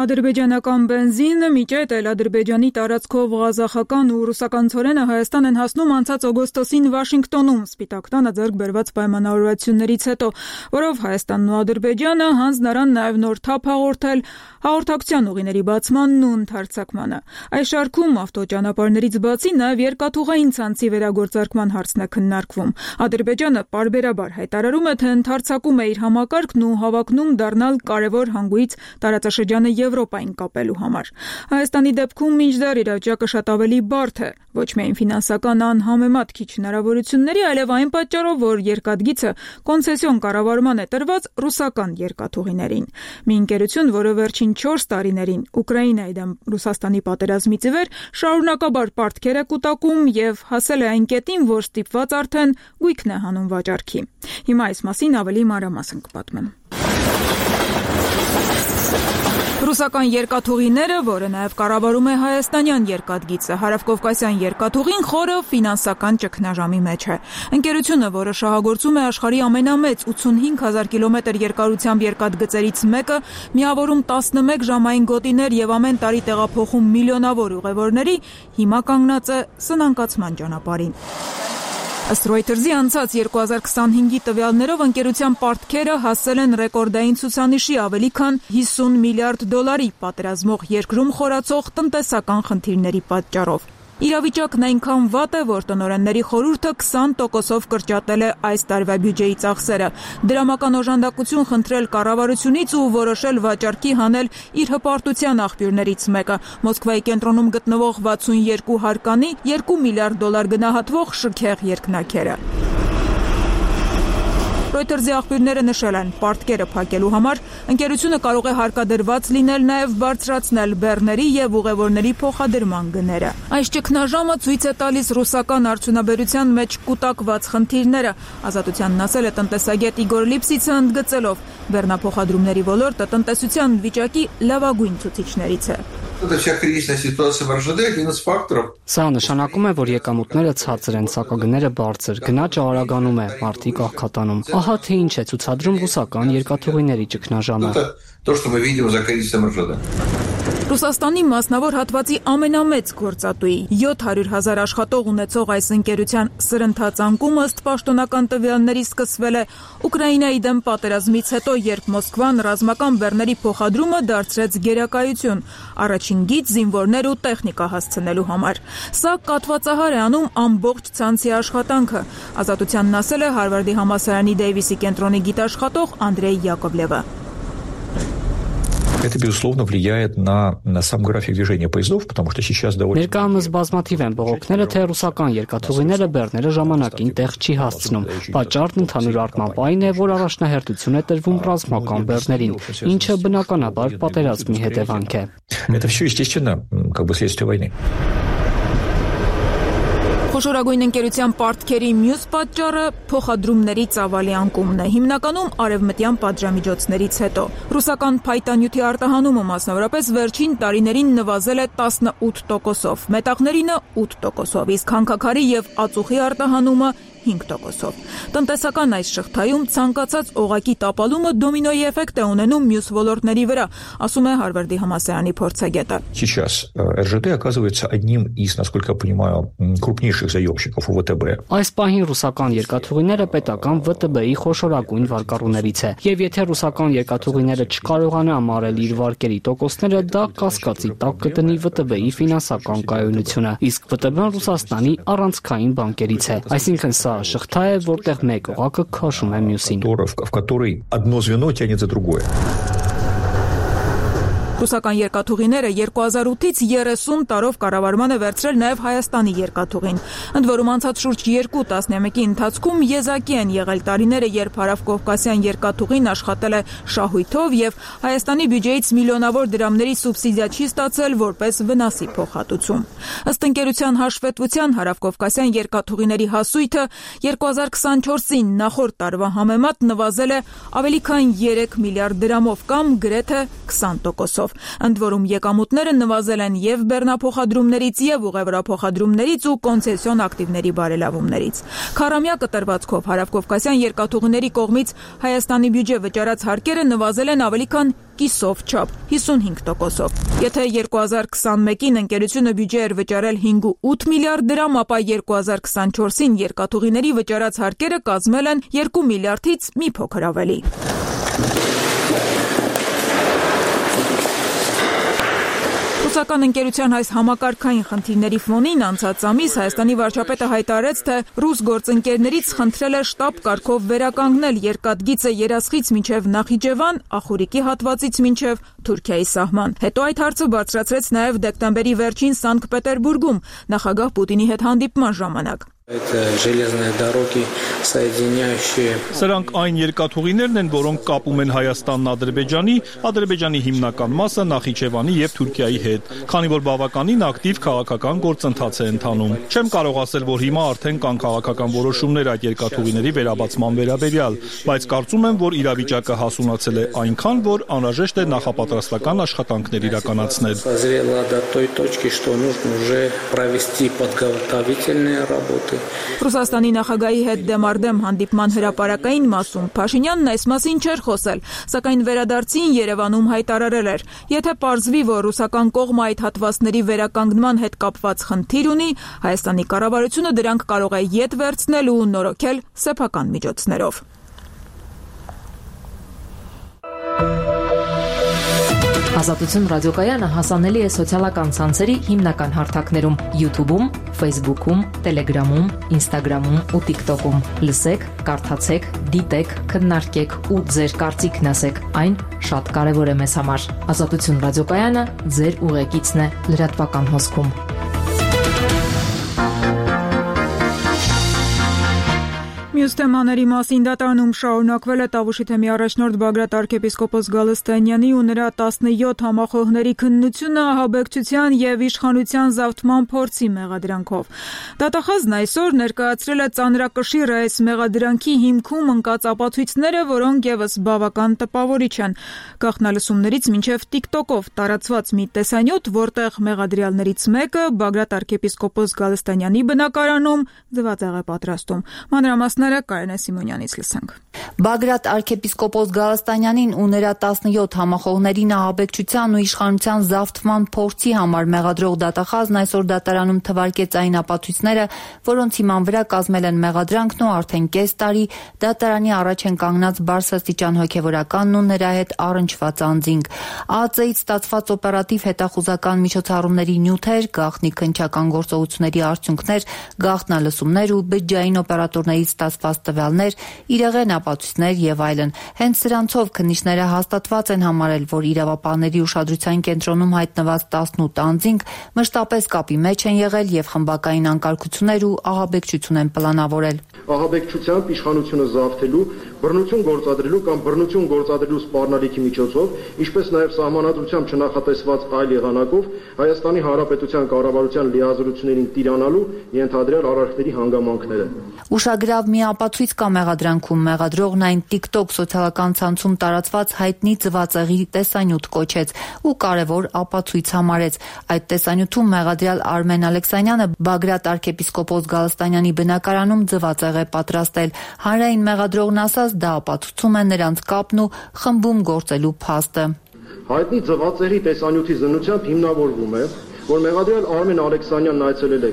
Ադրբեջանական բենզինը միջետ էլ Ադրբեջանի տարածքով ղազախական ու ռուսական ցորենը Հայաստան են հասնում անցած օգոստոսին Վաշինգտոնում Սպիտակ տանը ձեռք բերված պայմանավորվածություններից հետո, որով Հայաստանն ու Ադրբեջանը հանձն առան նաև նոր թափ հաղորդել հաղորդակցության ուղիների բացմանն ու ընդարձակմանը։ Այս շարքում ավտոճանապարհներից բացի նաև երկաթուղային ցանցի վերագործարկման հարցն է քննարկվում։ Ադրբեջանը պարբերաբար հայտարարում է, թե ընդարձակում է իր համակարգն ու հավակնում դառնալ կարևոր հանգույց տարածաշրջանը Եվրոպային կապելու համար։ Հայաստանի դեպքում մինչդեռ իրավիճակը շատ ավելի բարդ է, ոչ միայն ֆինանսական անհամեմատ քիչ հնարավորությունների, այլև այն պատճառով, որ երկաթգիծը կոնցեսիոն կառավարման է տրված ռուսական երկաթուղիներին։ Մի ընկերություն, որը վերջին 4 տարիներին Ուկրաինայի դեմ Ռուսաստանի պատերազմից ի վեր շարունակաբար պարտքեր է կուտակում եւ հասել է այն կետին, որ ստիպված արդեն գույքն է հանում վաճառքի։ Հիմա այս մասին ավելի մանրամասն կպատմեմ։ Ռուսական երկաթուղիները, որը նաև կառավարում է հայաստանյան երկաթգիծը, հարավկովկասյան երկաթուղին խորը ֆինանսական ճգնաժամի մեջ է։ Ընկերությունը, որը շահագործում է աշխարհի ամենամեծ 85,000 կիլոմետր երկարությամբ երկաթգծերից մեկը, միավորում 11 ժամային գոտիներ եւ ամեն տարի տեղափոխում միլիոնավոր ուղևորների, հիմա կանգնած է սնանկացման ճանապարհին։ Ըստ Reuters-ի անցած 2025-ի տվյալներով ընկերության պարտքերը հասել են ռեկորդային ցուցանիշի ավելի քան 50 միլիարդ դոլարի, պատերազմող երկրում խորացող տնտեսական խնդիրների պատճառով։ Իրավիճակն այնքան վատ է, որ տնօրենների խորհուրդը 20%-ով կրճատել է այս տարվա բյուջեի ծախսերը, դրամական օժանդակություն խնդրել կառավարությունից ու որոշել վաճառքի հանել իր հպարտության աղբյուրներից մեկը՝ Մոսկվայի կենտրոնում գտնվող 62 հարկանի $2 միլիարդ գնահատվող շքեղ երկնաքերը։ Reuters-ի աղբյուրները նշել են, պարտքերը փակելու համար ընկերությունը կարող է հարկադրված լինել նաև բարձրացնել բեռների եւ ուղևորների փոխադրման գները։ Այս ճգնաժամը ցույց է տալիս ռուսական արդյունաբերության մեջ կուտակված խնդիրները, Ազատությանն ասել է տնտեսագետ Իգոր Լիպսիցը ընդգծելով, բեռնափոխադրումների ոլորտը տնտեսության վիճակի լավագույն ցուցիչներից է։ Սա նշանակում է, որ եկամուտները ցածր են, սակագները բարձր, գնաճը արագանում է, մարդիկ աղքատանում։ Ահա թե ինչ է ցուցադրում ռուսական երկաթուղիների ճգնաժամը։ Ռուսաստանի մասնավոր հատվածի ամենամեծ գործատուի 700,000 աշխատող ունեցող այս ընկերության սրընթաց անկումը ըստ պաշտոնական տվյալների սկսվել է Ուկրաինայի դեմ պատերազմից հետո, երբ Մոսկվան ռազմական բեռների փոխադրումը դարձրեց գերակայություն, առաջին գիծ զինվորներ ու տեխնիկա հասցնելու համար։ Սա կատվածահար է անում ամբողջ ցանցի աշխատանքը, Ազատությանն ասել է Հարվարդի համալսարանի Դեյվիսի կենտրոնի գիտաշխատող Անդրեյ Յակովլևը։ Это, безусловно, влияет на сам график движения поездов, потому что сейчас довольно... Ներկայումս բազմաթիվ են բողոքները, թե ռուսական երկաթուղիները բեռները ժամանակին տեղ չի հասցնում։ Պատճառն ընդհանուր առմամբ այն է, որ առաջնահերթություն է տրվում ռազմական բեռներին, ինչը բնականաբար պատերազմի հետևանք է։ Это все, естественно, как бы следствие войны. Խոշորագույն ընկերության պարտքերի մյուս պատճառը փոխադրումների ծավալի անկումն է, հիմնականում արևմտյան պատժամիջոցներից հետո։ Ռուսական փայտանյութի արտահանումը մասնավորապես վերջին տարիներին նվազել է 18%-ով, մետաղներինը 8%-ով, իսկ հանքաքարի եւ ածուխի արտահանումը 5%-ով։ Տնտեսական այս շղթայում ցանկացած օղակի տապալումը դոմինոյի էֆեկտ է ունենում մյուս ոլորտների վրա, ասում է Հարվարդի համալսարանի փորձագետը։ Сейчас РЖД оказывается одним из, насколько я понимаю, крупнейших заемщиков у ВТБ. Այս պահին ռուսական երկաթուղիները պետական ՎՏԲ-ի խոշորագույն վարկառուներից է, եւ եթե ռուսական երկաթուղիները չկարողանա ամառել իր վարկերի տոկոսները, դա կասկածի տակ կդնի ՎՏԲ-ի ֆինանսական կայունությունը, իսկ ՎՏԲ-ն Ռուսաստանի առանցքային բանկերից է, այսինքն սա շղթա է, որտեղ մեկ օղակը քաշում է մյուսին։ В которой одно звено тянет за другое. Ռուսական երկաթուղիները 2008-ից 30 տարով կառավարման է վերցրել նաև Հայաստանի երկաթուղին։ Ընդ որում անցած շուրջ 2 տասնամյակի ընթացքում եզակի են եղել տարիները, երբ հարավկովկասյան երկաթուղին աշխատել է շահույթով եւ Հայաստանի բյուջեից միլիոնավոր դրամների սուբսիդիա չի ստացել որպես վնասի փոխհատուցում։ Ըստ ընկերության հաշվետվության հարավկովկասյան երկաթուղիների հասույթը 2024-ին նախորդ տարվա համեմատ նվազել է ավելի քան 3 միլիարդ դրամով կամ գրեթե 20%-ով։ Ընդ որում եկամուտները նվազել են եւ բեռնափոխադրումներից եւ ուղևորափոխադրումներից ու կոնցեսիոն ակտիվների բարելավումներից։ Քառամյա կտրվածքով հարավկովկասյան երկաթուղիների կողմից Հայաստանի բյուջե վճարած հարկերը նվազել են ավելի քան կիսով չափ 55%-ով։ Եթե 2021-ին ընկերությունը բյուջե էր վճարել 5.8 միլիարդ դրամ, ապա 2024-ին երկաթուղիների վճարած հարկերը կազմել են 2 միլիարդից մի փոքր ավելի։ Ռուսական ընկերության այս համակարգային խնդիրների ֆոնին անցած ամիս Հայաստանի վարչապետը հայտարարեց, թե ռուս գործընկերներից խնդրել է շտապ կարգով վերականգնել երկաթգիծը Երասխից մինչև Նախիջևան, Ախուրիկի հատվածից մինչև Թուրքիայի սահման։ Հետո այդ հարցը բարձրացրեց նաև դեկտեմբերի վերջին Սանկտ Պետերբուրգում նախագահ Պուտինի հետ հանդիպման ժամանակ։ Սրանք այն երկաթուղիներն են, որոնք կապում են Հայաստանն Ադրբեջանի հիմնական մասը Նախիջևանի եւ Թուրքիայի հետ, քանի որ բավականին ակտիվ քաղաքական գործընթաց է ընթանում։ Չեմ կարող ասել, որ հիմա արդեն կան քաղաքական որոշումներ այդ երկաթուղիների վերաբացման վերաբերյալ, բայց կարծում եմ, որ իրավիճակը հասունացել է այնքան, որ անհրաժեշտ է նախապատրաստական աշխատանքներ իրականացնել։ Ռուսաստանի նախագահի հետ դեմարդեմ հանդիպման հրապարակային մասում Փաշինյանն այս մասին չէր խոսել, սակայն վերադարձին Երևանում հայտարարել էր. եթե պարզվի, որ ռուսական կողմը այդ հատվածների վերականգնման հետ կապված խնդիր ունի, Հայաստանի կառավարությունը դրանք կարող է ետ վերցնել ու նորոգել սեփական միջոցներով։ Ազատություն ռադիոկայանը հասանելի է սոցիալական ցանցերի հիմնական հարթակներում՝ YouTube-ում, Facebook-ում, Telegram-ում, Instagram-ում ու TikTok-ում։ Լսեք, կարդացեք, դիտեք, քննարկեք ու ձեր կարծիքն ասեք։ Այն շատ կարևոր է մեզ համար։ Ազատություն ռադիոկայանը ձեր ուղեկիցն է լրատվական հոսքում։ Մյուս թեմաների մասին դատարանում շարունակվել է Տավուշի թեմի առաջնորդ Բագրատ arczepiskopos Գալստանյանի ու նրա 17 համախոհների քննությունը ահաբեկչության եւ իշխանության զավթման փորձի մեղադրանքով։ Դատախազն այսօր ներկայացրել է ծանրակշիռ այս մեղադրանքի հիմքում ընկած ապացույցները, որոնք եւս բավական տպավորիչ են։ Գաղտնալսումներից մինչեւ TikTok-ով տարածված մի տեսանյութ, որտեղ մեղադրյալներից մեկը Բագրատ arczepiskopos Գալստանյանի բնակարանում ձվածեղ է պատրաստում։ Մանրամասները Կարենե Սիմոնյանից լսենք։ Բագրատ arczepiskopos Գալստանյանին ու նրա 17 համախոհներին ահաբեկչության ու իշխանության զավթման փորձի համար մեղադրող դատախազն այսօր դատարանում թվարկեց այն ապացույցները, որոնց հիման վրա կազմել են մեղադրանքն ու արդեն կես տարի դատարանի առաջ են կանգնած բարձրաստիճան հոգևորականն ու նրա հետ առնչված անձինք։ ԱԱԾ-ից ստացված օպերատիվ հետախուզական միջոցառումների նյութեր, գաղտնի քննչական գործողությունների արդյունքներ, գաղտնալսումներ ու բջջային օպերատորներից ստացված տվյալներ, իրեղեն ապացույցներ եւ այլն։ Հենց սրանցով քննիչները հաստատված են համարել, որ իրավապահների ուշադրության կենտրոնում հայտնված 18 անձինք մշտապես կապի մեջ են եղել եւ խմբակային անկարգություններ ու ահաբեկչություն են պլանավորել։ Ահաբեկչությամբ իշխանությունը զավթելու, բռնություն գործադրելու կամ բռնություն գործադրելու սպառնալիքի միջոցով, ինչպես նաև սահմանադրությամբ չնախատեսված այլ եղանակով Հայաստանի Հանրապետության կառավարության լիազորություններին տիրանալու ենթադրյալ արարքների հանգամանքները։ Ուշագրավ մի ապացույց կա մեղադրանքում, մեղադրողն այն TikTok սոցիալական ցանցում տարածված հայտնի ձվածեղի տեսանյութ կոչեց ու կարևոր ապացույց համարեց։ Այդ տեսանյութում մեղադրյալ Արմեն Ալեքսանյանը Բագրատ arczepiskopos Գալստանյանի բնակարանում ձվածեղ է պատրաստել։ Հանրային մեղադրողն ասաց, դա ապացուցում է նրանց կապն ու խմբում գործելու փաստը։ Հայտնի ձվածեղի տեսանյութի զննությամբ հիմնավորվում է, որ մեղադրյալ Արմեն Ալեքսանյանն այցելել է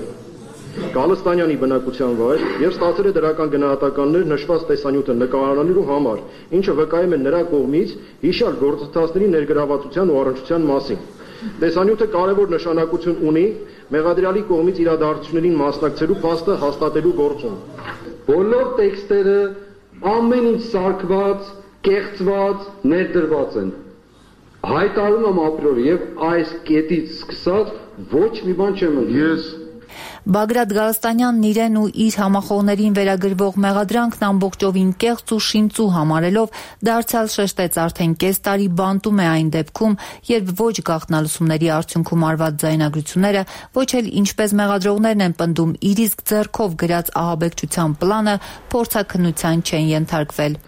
Գալստանյանի բնակության վայր եւ ստացել է դրական գնահատականներ նշված տեսանյութը նկարանալու համար, ինչը վկայում է նրա կողմից հիշյալ գործընթացների ներգրավվածության ու առնչության մասին։ Տեսանյութը կարևոր նշանակություն ունի մեղադրյալի կողմից իրադարձություններին մասնակցելու փաստը հաստատելու գործում։ Բոլոր տեքստերը ամեն ինչ սարքված, կեղծված, ներդրված են։ Հայտարարում եմ ապրիոր եւ այս կետից սկսած ոչ մի բան չեմ ընդունել։ Բագրատ Գալստանյանն իրեն ու իր համախոհներին վերագրվող մեղադրանքն ամբողջովին կեղծ ու շինծու համարելով դարձյալ շեշտեց արդեն կես տարի բանտում է այն դեպքում, երբ ոչ գաղտնալսումների արդյունքում արված ձայնագրությունները, ոչ էլ ինչպես մեղադրողներն են պնդում իր իսկ ձեռքով գրած ահաբեկչության պլանը փորձաքննության չեն ենթարկվել։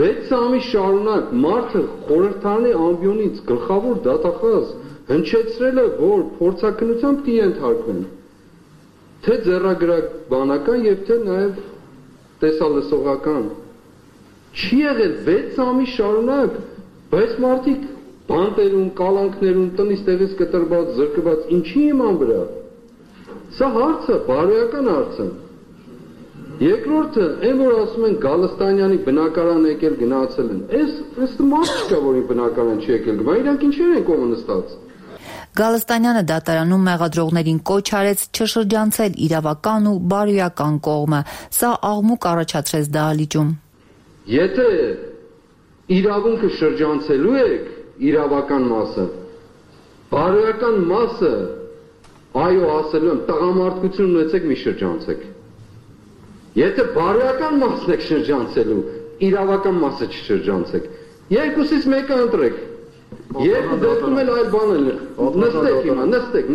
6 ամիս շարունակ մարդը խորհրդարանի ամբիոնից գլխավոր դատախազ հնչեցրել է, որ փորձաքննության պիտի ենթարկվեն։ Թե ձեռագրակ բանական եւ թե նաեւ տեսալսողական չի եղել 6 ամիս շարունակ, բայց մարդիկ բանտերում, կալանքներում, տնից տեղից կտրված, զրկված, ինչի իման վրա։ Սա հարց է, բարոյական հարց է։ Երկրորդը, այն որ ասում են Գալստանյանի բնակարան եկել գնացել են։ Այս մարդ չկա, որի բնակարան չի եկել, բայց իրանք ինչեր են կողմը նստած։ Գալստանյանը դատարանում մեղադրողներին կոչ արեց չշրջանցել իրավական ու բարոյական կողմը։ Սա աղմուկ առաջացրեց դահլիճում։ Եթե իրավունքը շրջանցելու եք իրավական մասը, բարոյական մասը, այո ասելու եմ, տղամարդկություն ունեցեք մի շրջանցեք։ Եթե բարոյական մասն եք շրջանցելու, իրավական մասը չշրջանցեք։ Երկուսից մեկը ընտրեք։ Երկու դեպքում էլ այլ բան է։ Նստեք հիմա, նստեք։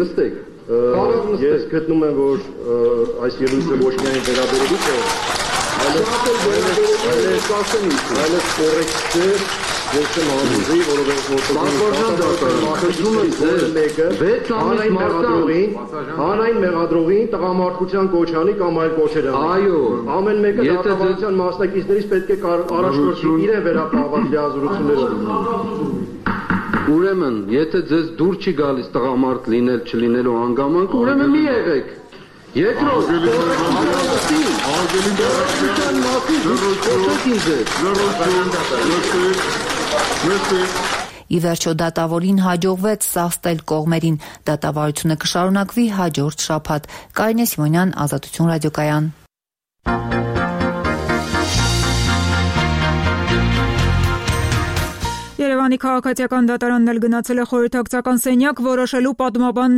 Ես գտնում եմ, որ այս ելույթը ոչ միայն վերաբերելիք է, այլև կորեկտ չէ, ես չեմ համոզի, հանրային մեղադրողին տղամարդկության կոչանի կամ այլ կոչեր են։ Այո, ամեն մեկը դատավարության մասնակիցներից պետք է առաջնորդի իրեն վերապահված լիազորություններով։ Ուրեմն, եթե ձեզ դուր չի գալիս տղամարդ լինել չլինելու հանգամանք, ուրեմն մի եղեք։ Երկրորդ, Ի վերջո դատավորին հաջողվեց սաստել կողմերին։ Դատավարությունը կշարունակվի հաջորդ շաբաթ։ Կարինե Սիմոնյան, Ազատություն ռադիոկայան։ Երևանի քաղաքացիական դատարանն էլ գնացել է խորհրդակցական սենյակ որոշելու պատմաբան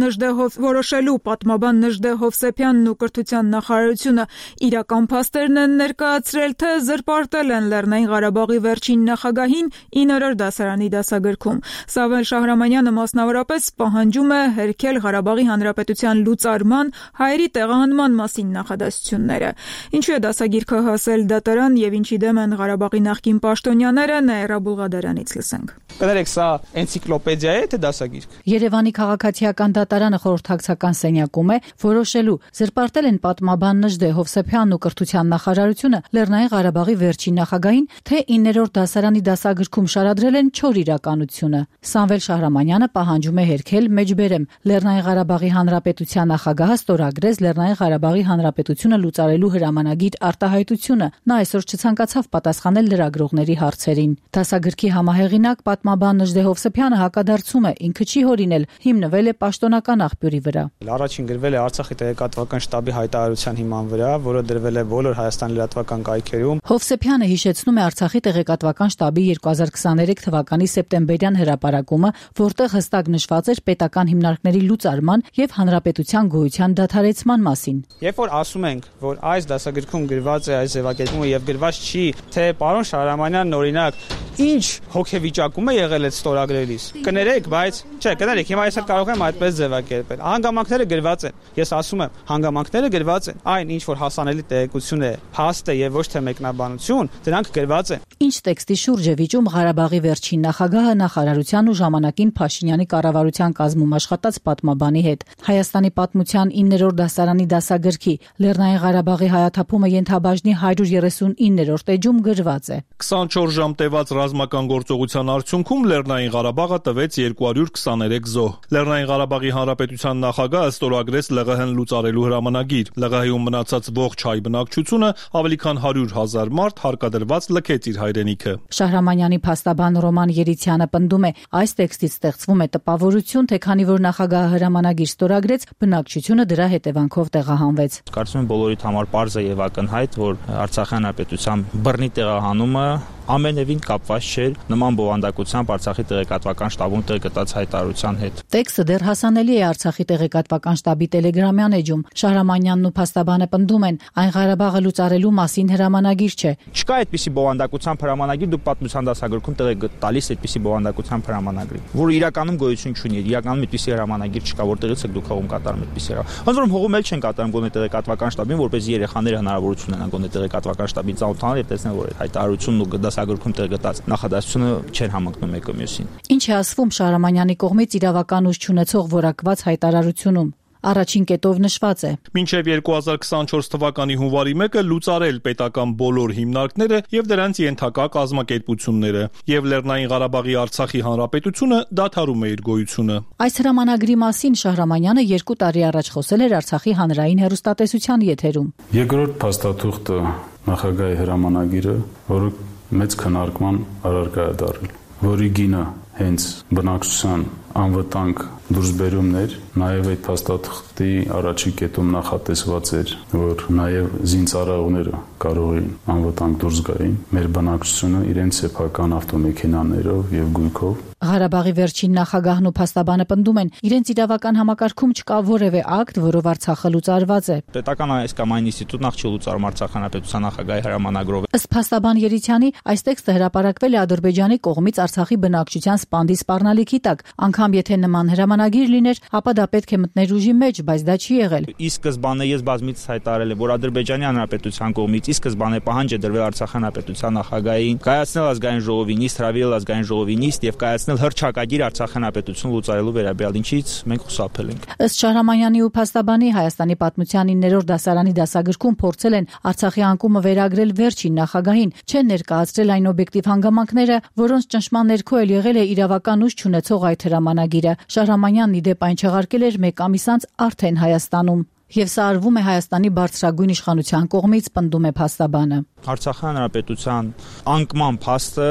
Նժդե Հովսեփյանն ու կրթության նախարարությունը իրական փաստերն են ներկայացրել, թե զրպարտել են Լեռնային Ղարաբաղի վերջին նախագահին 9-րդ դասարանի դասագրքում։ Սամվել Շահրամանյանը մասնավորապես պահանջում է հերքել Ղարաբաղի Հանրապետության լուծարման, հայերի տեղահանման մասին նախադասությունները։ Ինչու է դասագիրքը հասել դատարան եւ ինչի դեմ են Ղարաբաղի նախկին պաշտոնյաները, Նաիրա Բուլղադարյանից լսենք։ Կներեք, սա էնցիկլոպեդիա է, թե դասագիրք։ Երևանի քաղաքացիական դատարանը խորհրդակցական սենյակում է որոշելու զրպարտել են պատմաբան Նժդե Հովսեփյանն ու կրթության նախարարությունը Լեռնային Ղարաբաղի վերջին նախագահին, թե 9-րդ դասարանի դասագրքում շարադրել են չոր իրականությունը։ Սամվել Շահրամանյանը պահանջում է հերքել մեջբերեմ Լեռնային Ղարաբաղի Հանրապետության նախագահը ստորագրեց Լեռնային Ղարաբաղի Հանրապետությունը լուծարելու հրամանագիր արտահայտությունը։ Նա այսօր չցանկացավ պատասխանել լրագրողների հարցերին։ Դասագրքի համահեղինակ պատմաբան Նժդե Հովսեփյանը հակադարձում է, ինքը չի հորինել, հիմնվել է պաշտոնական աղբյուրի վրա։ Առաջին գրվել է Արցախի տեղեկատվական շտաբի հայտարարության հիման վրա, որը դրվել է բոլոր Հայաստանի լրատվական կայքերում։ Հովսեփյանը հիշեցնում է Արցախի տեղեկատվական շտաբի 2023 թվականի սեպտեմբերյան հրապարակումը, որտեղ հստակ նշված էր պետական հիմնարկների լուծարման եւ հանրապետության գոյության դադարեցման մասին։ Երբ որ ասում ենք, որ այս դասագրքում գրված է այս ձևակերպումը եւ գրված չի, թե պարոն Շահրամանյանն օրինակ ինչ հոգեվիճակում է եղել այդ ստորագրելիս։ Կներեք, բայց կներեք, հիմա ես կարող եմ այդպես ձևակերպել։ Հանգամանքները գրված են։ Ես ասում եմ, հանգամանքները գրված են։ Այն ինչ որ հասանելի տեղեկություն է, փաստ է եւ ոչ թե մեկնաբանություն, դրանք գրված են։ Ինչ տեքստի շուրջ է վիճում Ղարաբաղի վերջին նախագահը նախարարության ու ժամանակին Փաշինյանի կառավարության կազմում աշխատած պատմաբանի հետ։ Հայաստանի պատմության 9-րդ դասարանի դասագրքի Լեռնային Ղարաբաղի հայաթափումը ենթաբաժնի 139-րդ էջում գրված է. 24 ժամ տևած ռազմական գործողության արդյունքում Լեռնային Ղարաբաղը տվեց 223 զոհ։ Լեռնային Ղարաբաղի Հանրապետության նախագահը ստորագրեց ԼՂՀ-ն լուծարելու հրամանագիր։ ԼՂՀ-ում մնացած ողջ հայ բնակչությունը ավելի քան 100,000 մարդ հարկադրված լքեց իր հայրենիքը։ Շահրամանյանի փաստաբան Ռոման Երիցյանը պնդում է, այս տեքստից ստեղծվում է տպավորություն, թե քանի որ նախագահը հրամանագիր ստորագրեց, բնակչությունը դրա հետևանքով տեղահանվեց։ Կարծում եմ բոլորիդ համար պարզ է եւ ակնհայտ, որ Արցախի հանրապետության բռնի տեղահանումը ամենևին կապված չէր նման բովանդակությամբ Արցախի տեղեկատվական շտաբում տեղ գտած հայտարարության հետ։ Տեքստը դեռ հասանելի է Արցախի տեղեկատվական շտաբի տելեգրամյան էջում։ Շահրամանյանն ու փաստաբանը պնդում են, այն Ղարաբաղը լուծարելու մասին հրամանագիր չէ։ Չկա այդպիսի բովանդակությամբ հրամանագիր, դուք պատմության դասագրքում տեղ եք տալիս այդպիսի բովանդակությամբ հրամանագրի, որ իրականում գոյություն չունի, իրականում այդպիսի հրամանագիր չկա, որտեղից եք դուք հողում կատարում այդպիսի հրամանագիր։ Ոնց որ հողում էլ չեն կատարում գոնե տեղեկատվական շտաբին, որպես երեխաները հնարավորություն ունենան գոնե տեղեկատվական շտաբին ծանոթանալ եւ տեսնել, որ հայտարարությունն ու դասագրքում տեղ գտած նախադասությունը չեն համընկնում մեկը մյուսին։ Ինչ է ասվում Շահրամանյանի կողմից իրավական ուժ չունեցող որակված հայտարարությունում։ Առաջին կետով նշված է. Մինչև 2024 թվականի հունվարի 1-ը լուծարել պետական բոլոր հիմնարկները եւ դրանց ենթակա կազմակերպությունները, եւ Լեռնային Ղարաբաղի Արցախի հանրապետությունը դադարում է իր գոյությունը։ Այս հրամանագրի մասին Շահրամանյանը 2 տարի առաջ խոսել էր Արցախի հանրային հեռուստատեսության եթերում։ Երկրորդ փաստաթուղթը նախագահի հրամանագիրը, որը մեծ քննարկման առարկա է դարձել, որի գինը հենց բնակչության անվտանգ դուրսբերումներ, նաև այդ փաստաթղթի առաջի կետում նախատեսված էր, որ նաև զինծառայողները կարող էին անվտանգ դուրս գային մեր բնակչությունը իրենց սեփական ավտոմեքենաներով եւ գույքով։ Ղարաբաղի վերջին նախագահն ու փաստաբանը պնդում են, իրենց իրավական համակարգում չկա որևէ ակտ, որով Արցախը լուծարված է։ Պետական այս կամ այն ինստիտուտ նախ չի լուծարում Արցախ հանրապետության նախագահի հրամանագրով։ Ըստ փաստաբան Երիցյանի, այս տեքստը հրապարակվել է Ադրբեջանի կողմից Արցախի բնակչության սպանդի սպառնալիքի տակ, անգամ եթե նման հրամանագիր լիներ, ապա դա պետք է մտներ ուժի մեջ, բայց դա չի եղել։ Ի սկզբանե ես բազմիցս հայտարարել եմ, որ Ադրբեջանի հանրապետության կողմից ի սկզբանե պահանջ է դրվել Արցախ հանրապետության նախագահային կայացնել ազգային ժողովի նիստ, հրավիրել ազգային ժողովի նիստ եւ կայացնել հռչակագիր Արցախ հանրապետություն լուծարելու վերաբերյալ, ինչից մենք խուսափել ենք։ Ըստ Շահրամանյանի ու փաստաբանի, Հայաստանի պատմության 9-րդ դասարանի դասագրքում փորձել են Արցախի անկումը վերագրել վերջին նախագահին, չեն ներկայացրել այն օբյեկտիվ հանգամանքները, որոնց ճնշման ներքո էլ եղել է իրավական ուժ չունեցող այդ հրամանագիրը։ Շահրամանյանն ի դեպ այն չեղարկել էր 1 ամիս անց արդեն Հայաստանում։ Եվ սա արվում է Հայաստանի բարձրագույն իշխանության կողմից, պնդում է փաստաբանը։ Արցախի հանրապետության անկման փաստը,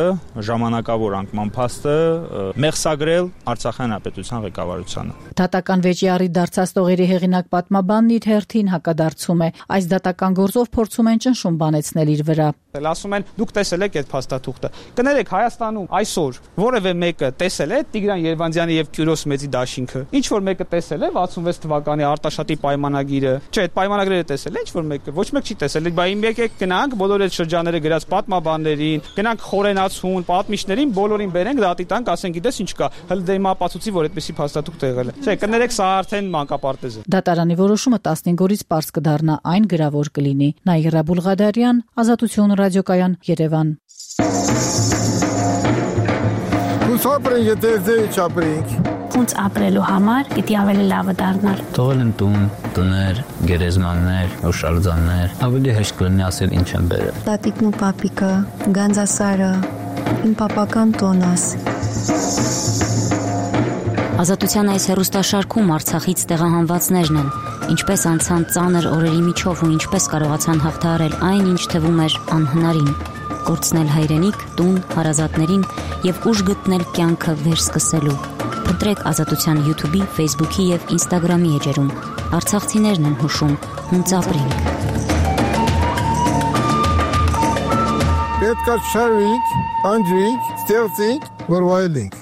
ժամանակավոր անկման փաստը մեղսագրել Արցախի հանրապետության ղեկավարությանը։ Դատական վեճի առիթ դարձած տողերի հեղինակ պատմաբանն իր հերթին հակադարձում է։ Այս դատական գործով փորձում են ճնշում բանեցնել իր վրա։ Ասում են, դուք տեսել եք այդ փաստաթուղթը։ Կներեք, Հայաստանում այսօր որևէ մեկը տեսել է Տիգրան Երևանձյանի եւ Կյուրոս Մեծի դաշինքը։ Ինչ որ մեկը տեսել է 66 թվականի Արտաշատի պայմանագիրը։ Չէ, այդ պայմանագրերը տեսել է ինչ որ մեկը։ Ոչ մեկ չի տեսել։ Բայց եկեք գնանք բոլոր այդ շրջանները գրած պատմաբաններին, գնանք խորենացուն, պատմիչներին, բոլորին բերենք դատի տանք, ասենք գիտես ինչ կա։ Հələ դե հիմա ապացուցի, որ այդպեսի փաստաթուղթ եղել է։ Չէ, կներեք, սա արդեն մանկապարտեզ է։ Դատարանի որոշումը 15 օրից պարզ կդառնա, այն գրավոր կլինի։ Նաիրա Բուլղադարյան, Ազատություն ռադիոկայան, Երևան։ Ուսապրենք, եթե չապրենք։ Ոնց ապրելու համար պիտի ավելի լավը դառնալ։ Թողել են տուն, տներ, գերեզմաններ, օշալձաններ, ավելի հեշտ կլինի ասել ինչ են բերել։ Տատիկն ու պապիկը, Գանձասարը, իմ պապական տոնս։ Ազատության այս հեռուստաշարքում Արցախից տեղահանվածներն են, ինչպես անցան ծանր օրերի միջով ու ինչպես կարողացան հաղթահարել այն, ինչ թվում էր անհնարին, կորցնել հայրենիք, տուն, հարազատներին եւ ուժ գտնել կյանքը վերսկսելու։ Փնտրեք Ազատության YouTube-ի, Facebook-ի եւ Instagram-ի էջերում։ Արցախցիներն են հուշում, հունց ապրենք։ Պետք է շարվենք, անջրենք, ստեղծենք, որ վայելենք։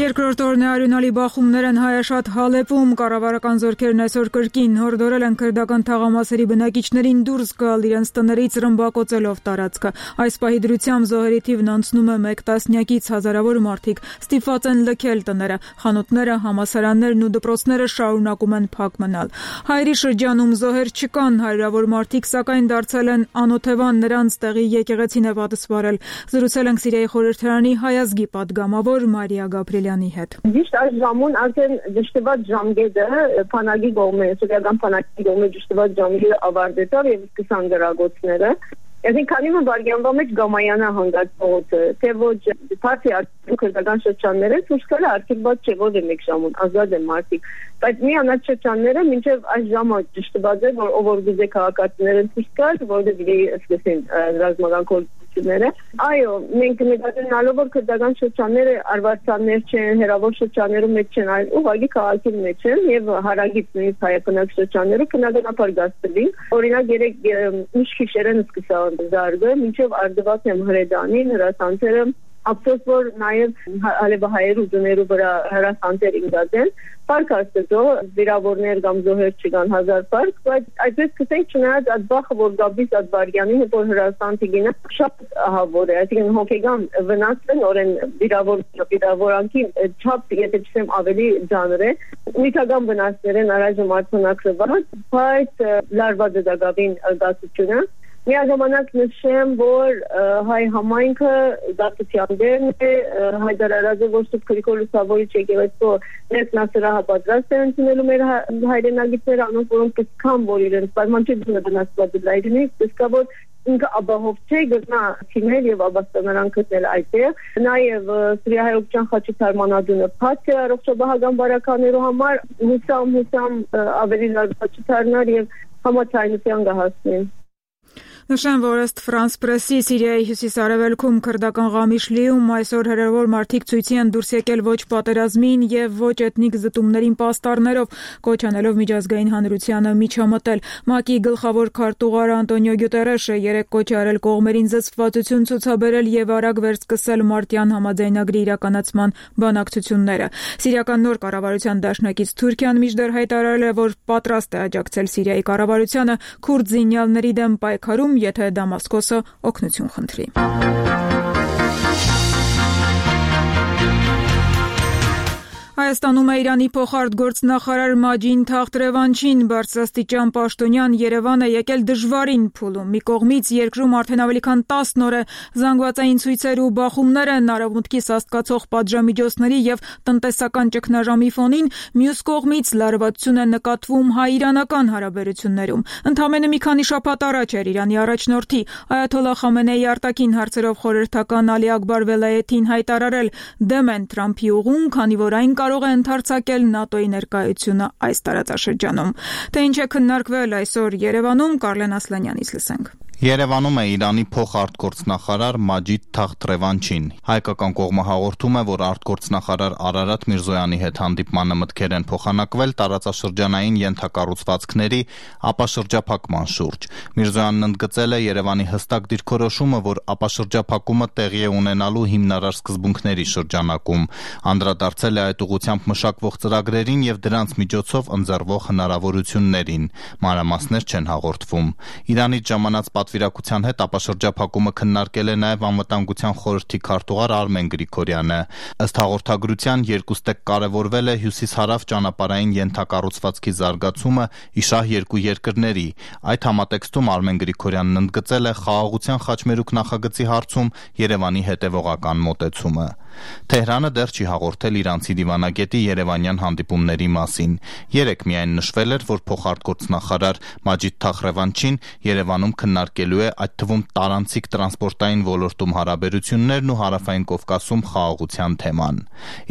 Երկրորդ օրն է արյունալի բախումներ են Հայաշատ Հալեպում, կառավարական զորքերն այսօր կրկին հորդորել են քրդական թաղամասերի բնակիչներին դուրս գալ իրենց տներից ռմբակոծելով տարածքը։ Այս պահի դրությամբ զոհերի թիվն անցնում է 1 տասնյակից, հազարավոր մարդիկ ստիպված են լքել տները, խանութները, համալսարաններն ու դպրոցները շարունակում են փակ մնալ։ Հայերի շրջանում զոհեր չկան, հարյուրավոր մարդիկ սակայն դարձել են անօթևան, նրանց տեղի եկեղեցին է պատասխանել։ Զրուցել ենք Սիրիայի խորհրդարանի հայազգի պատգամավոր Մարիա Գաբրիելյանի հետ։ Ճիշտ այս ժամուն արդեն դժտված ժամկետը փանագի կողմը, սովետական փանագի կողմը դժտված ժամկետը ավարտեցավ եւ սկսան գրագոցները։ Այսինքն քանի որ վարգյանվա մեջ գամայանա հանգած փողոցը, թե ոչ բացի քրդական շրջանները ցույց կալը արգելված չէ որ 1 ժամուն ազատ են մարդիկ, բայց միանալ շրջանները մինչև այս ժամը դժտված է որ ով որ գուզե քաղաքացիները ցույց կալ, որովհետեւ սկսեն ռազմական կորցությունները։ Այո, մենք նկատելով որ քրդական շրջանները արվարձաններ չեն, հերավոր շրջաններում մեջ չեն, այլ ուղղակի քաղաքի մեջ են եւ հարագից նույնիսկ հայկական շրջաններում քննադատաբար գաստելին։ Օրինակ երեք ինչ քիշերեն սկսա զարգը, մինչև արդված եմ հրեդանին, հրասանցերը, ափսոս որ նաև հալեբահայեր ուժներու վրա հրասանցեր ինգազեն, պարկ աստծո, վիրավորներ կամ զոհեր չկան 1000 պարկ, բայց այդպես կսենք չնայած այդ բախը, որ գաբիս այդ վարգյանին, որ հրասանցի գինը, շատ ահավոր է, այսինքն հոգեգան վնասն օրեն վիրավորանքի չափ, եթե չսեմ ավելի ձանր է, նյութական վնասներ են առայժմ արձանագրված, բայց լարված է դա գավին գասությունը։ Միաժամանակ նշեմ, որ հայ համայնքը դատության դերն է, Հայդար Արազը ոստուկ Գրիգոր Լուսավորիչ եկեղեցու ներքնասրահը պատրաստ է ընդունելու մեր հայրենագիտները, անոնք որոնք կսկան, որ իրենց պայմանչություն է վնասված լայրենի, կսկա, որ ինքը աբահով չէ, գտնա թիմեր եւ աբաստանարան գտնել այդտեղ։ Նաեւ Սրիահայոկչյան խաչիթարմանադունը փակ է առողջապահական բարականերու համար, հուսամ ավելի լավ խաչիթարներ եւ համաձայնության կհասնեն։ Նշեմ, որ ըստ Ֆրանս Պրեսի Սիրիայի հյուսիս-արևելքում քրդական Ղամիշլիում այսօր հրավեր մարդիկ ցույցի են դուրս եկել ոչ պատերազմին եւ ոչ էթնիկ զտումներին պաստառներով, կոչ անելով միջազգային հանրությանը միջամտել։ ՄԱԿ-ի գլխավոր քարտուղար Անտոնիո Գյուտերեշը երեկ կոչ արել կողմերին զսպվածություն ցուցաբերել եւ արագ վերսկսել Մարտյան համաձայնագրի իրականացման բանակցությունները։ Սիրիական նոր կառավարության դաշնակից Թուրքիան մինչդեռ հայտարարել է, որ պատրաստ է աջակցել Սիրիայի կառավարությանը քուրդ զինյալների դեմ պայքարում, եթե Դամասկոսը օգնություն խնդրի։ Հայաստանում է Իրանի փոխարտգործնախարար Մաջիդ Թախտ Ռևանչին բարձրաստիճան պաշտոնյան Երևան է եկել դժվարին փուլում։ Մի կողմից երկրում արդեն ավելի քան 10 օր է զանգվածային ցույցեր ու բախումներ են արևմուտքի սաստկացող պատժամիջոցների եւ տնտեսական ճգնաժամի ֆոնին, մյուս կողմից լարվածություն է նկատվում հայ-իրանական հարաբերություններում։ Ընդամենը մի քանի շաբաթ առաջ էր Իրանի առաջնորդի Այաթոլլահ Խամենեի արտաքին հարցերով խորհրդական Ալի Աքբար Վելայեթին հայտարարել դեմ են Թրամփի ուղուն, քանի որ այն կարող է ընդարձակել ՆԱՏՕ-ի ներկայությունը այս տարածաշրջանում։ Թե ինչ է քննարկվել այսօր Երևանում, Կարլեն Ասլանյանից լսենք։ Երևանում է Իրանի փոխարտգործնախարար Մաջիդ Թախտ Ռևանչին։ Հայկական կողմը հաղորդում է, որ արտգործնախարար Արարատ Միրզոյանի հետ հանդիպմանը մտքեր են փոխանակվել տարածաշրջանային ենթակառուցվածքների ապաշրջափակման շուրջ։ Միրզոյանն ընդգծել է Երևանի հստակ դիրքորոշումը, որ ապաշրջափակումը տեղի է ունենալու հիմնարար սկզբունքների շրջանակում։ Անդրադարձել է այդ ուղղությամբ մշակվող ծրագրերին եւ դրանց միջոցով ընձեռվող հնարավորություններին։ Մանրամասներ չեն հաղորդվում։ Իրանից ժամանած պատվիրակության հետ ապաշրջափակումը քննարկել է նաև Անվտանգության խորհրդի քարտուղար Արմեն Գրիգորյանը։ Ըստ հաղորդագրության երկուստեք կարևորվել է հյուսիս-հարավ ճանապարհային ենթակառուցվածքի զարգացումը իշահ երկու երկրների։ Այդ համատեքստում Արմեն Գրիգորյանն ընդգծել է խաղաղության խաչմերուկ նախագծի հարցում Երևանի հետևողական մոտեցումը։ Թեհրանը դեռ չի հաղորդել իրանցի դիվանագետի երևանյան հանդիպումների մասին։ Երեկ միայն նշվել էր, որ փոխարտգործնախարար Մաջիդ Թախտ Ռևանչին Երևանում քննարկելու է այդ թվում տարանցիկ տրանսպորտային ոլորտում հարաբերություններն ու Հարավային Կովկասում խաղաղության թեման։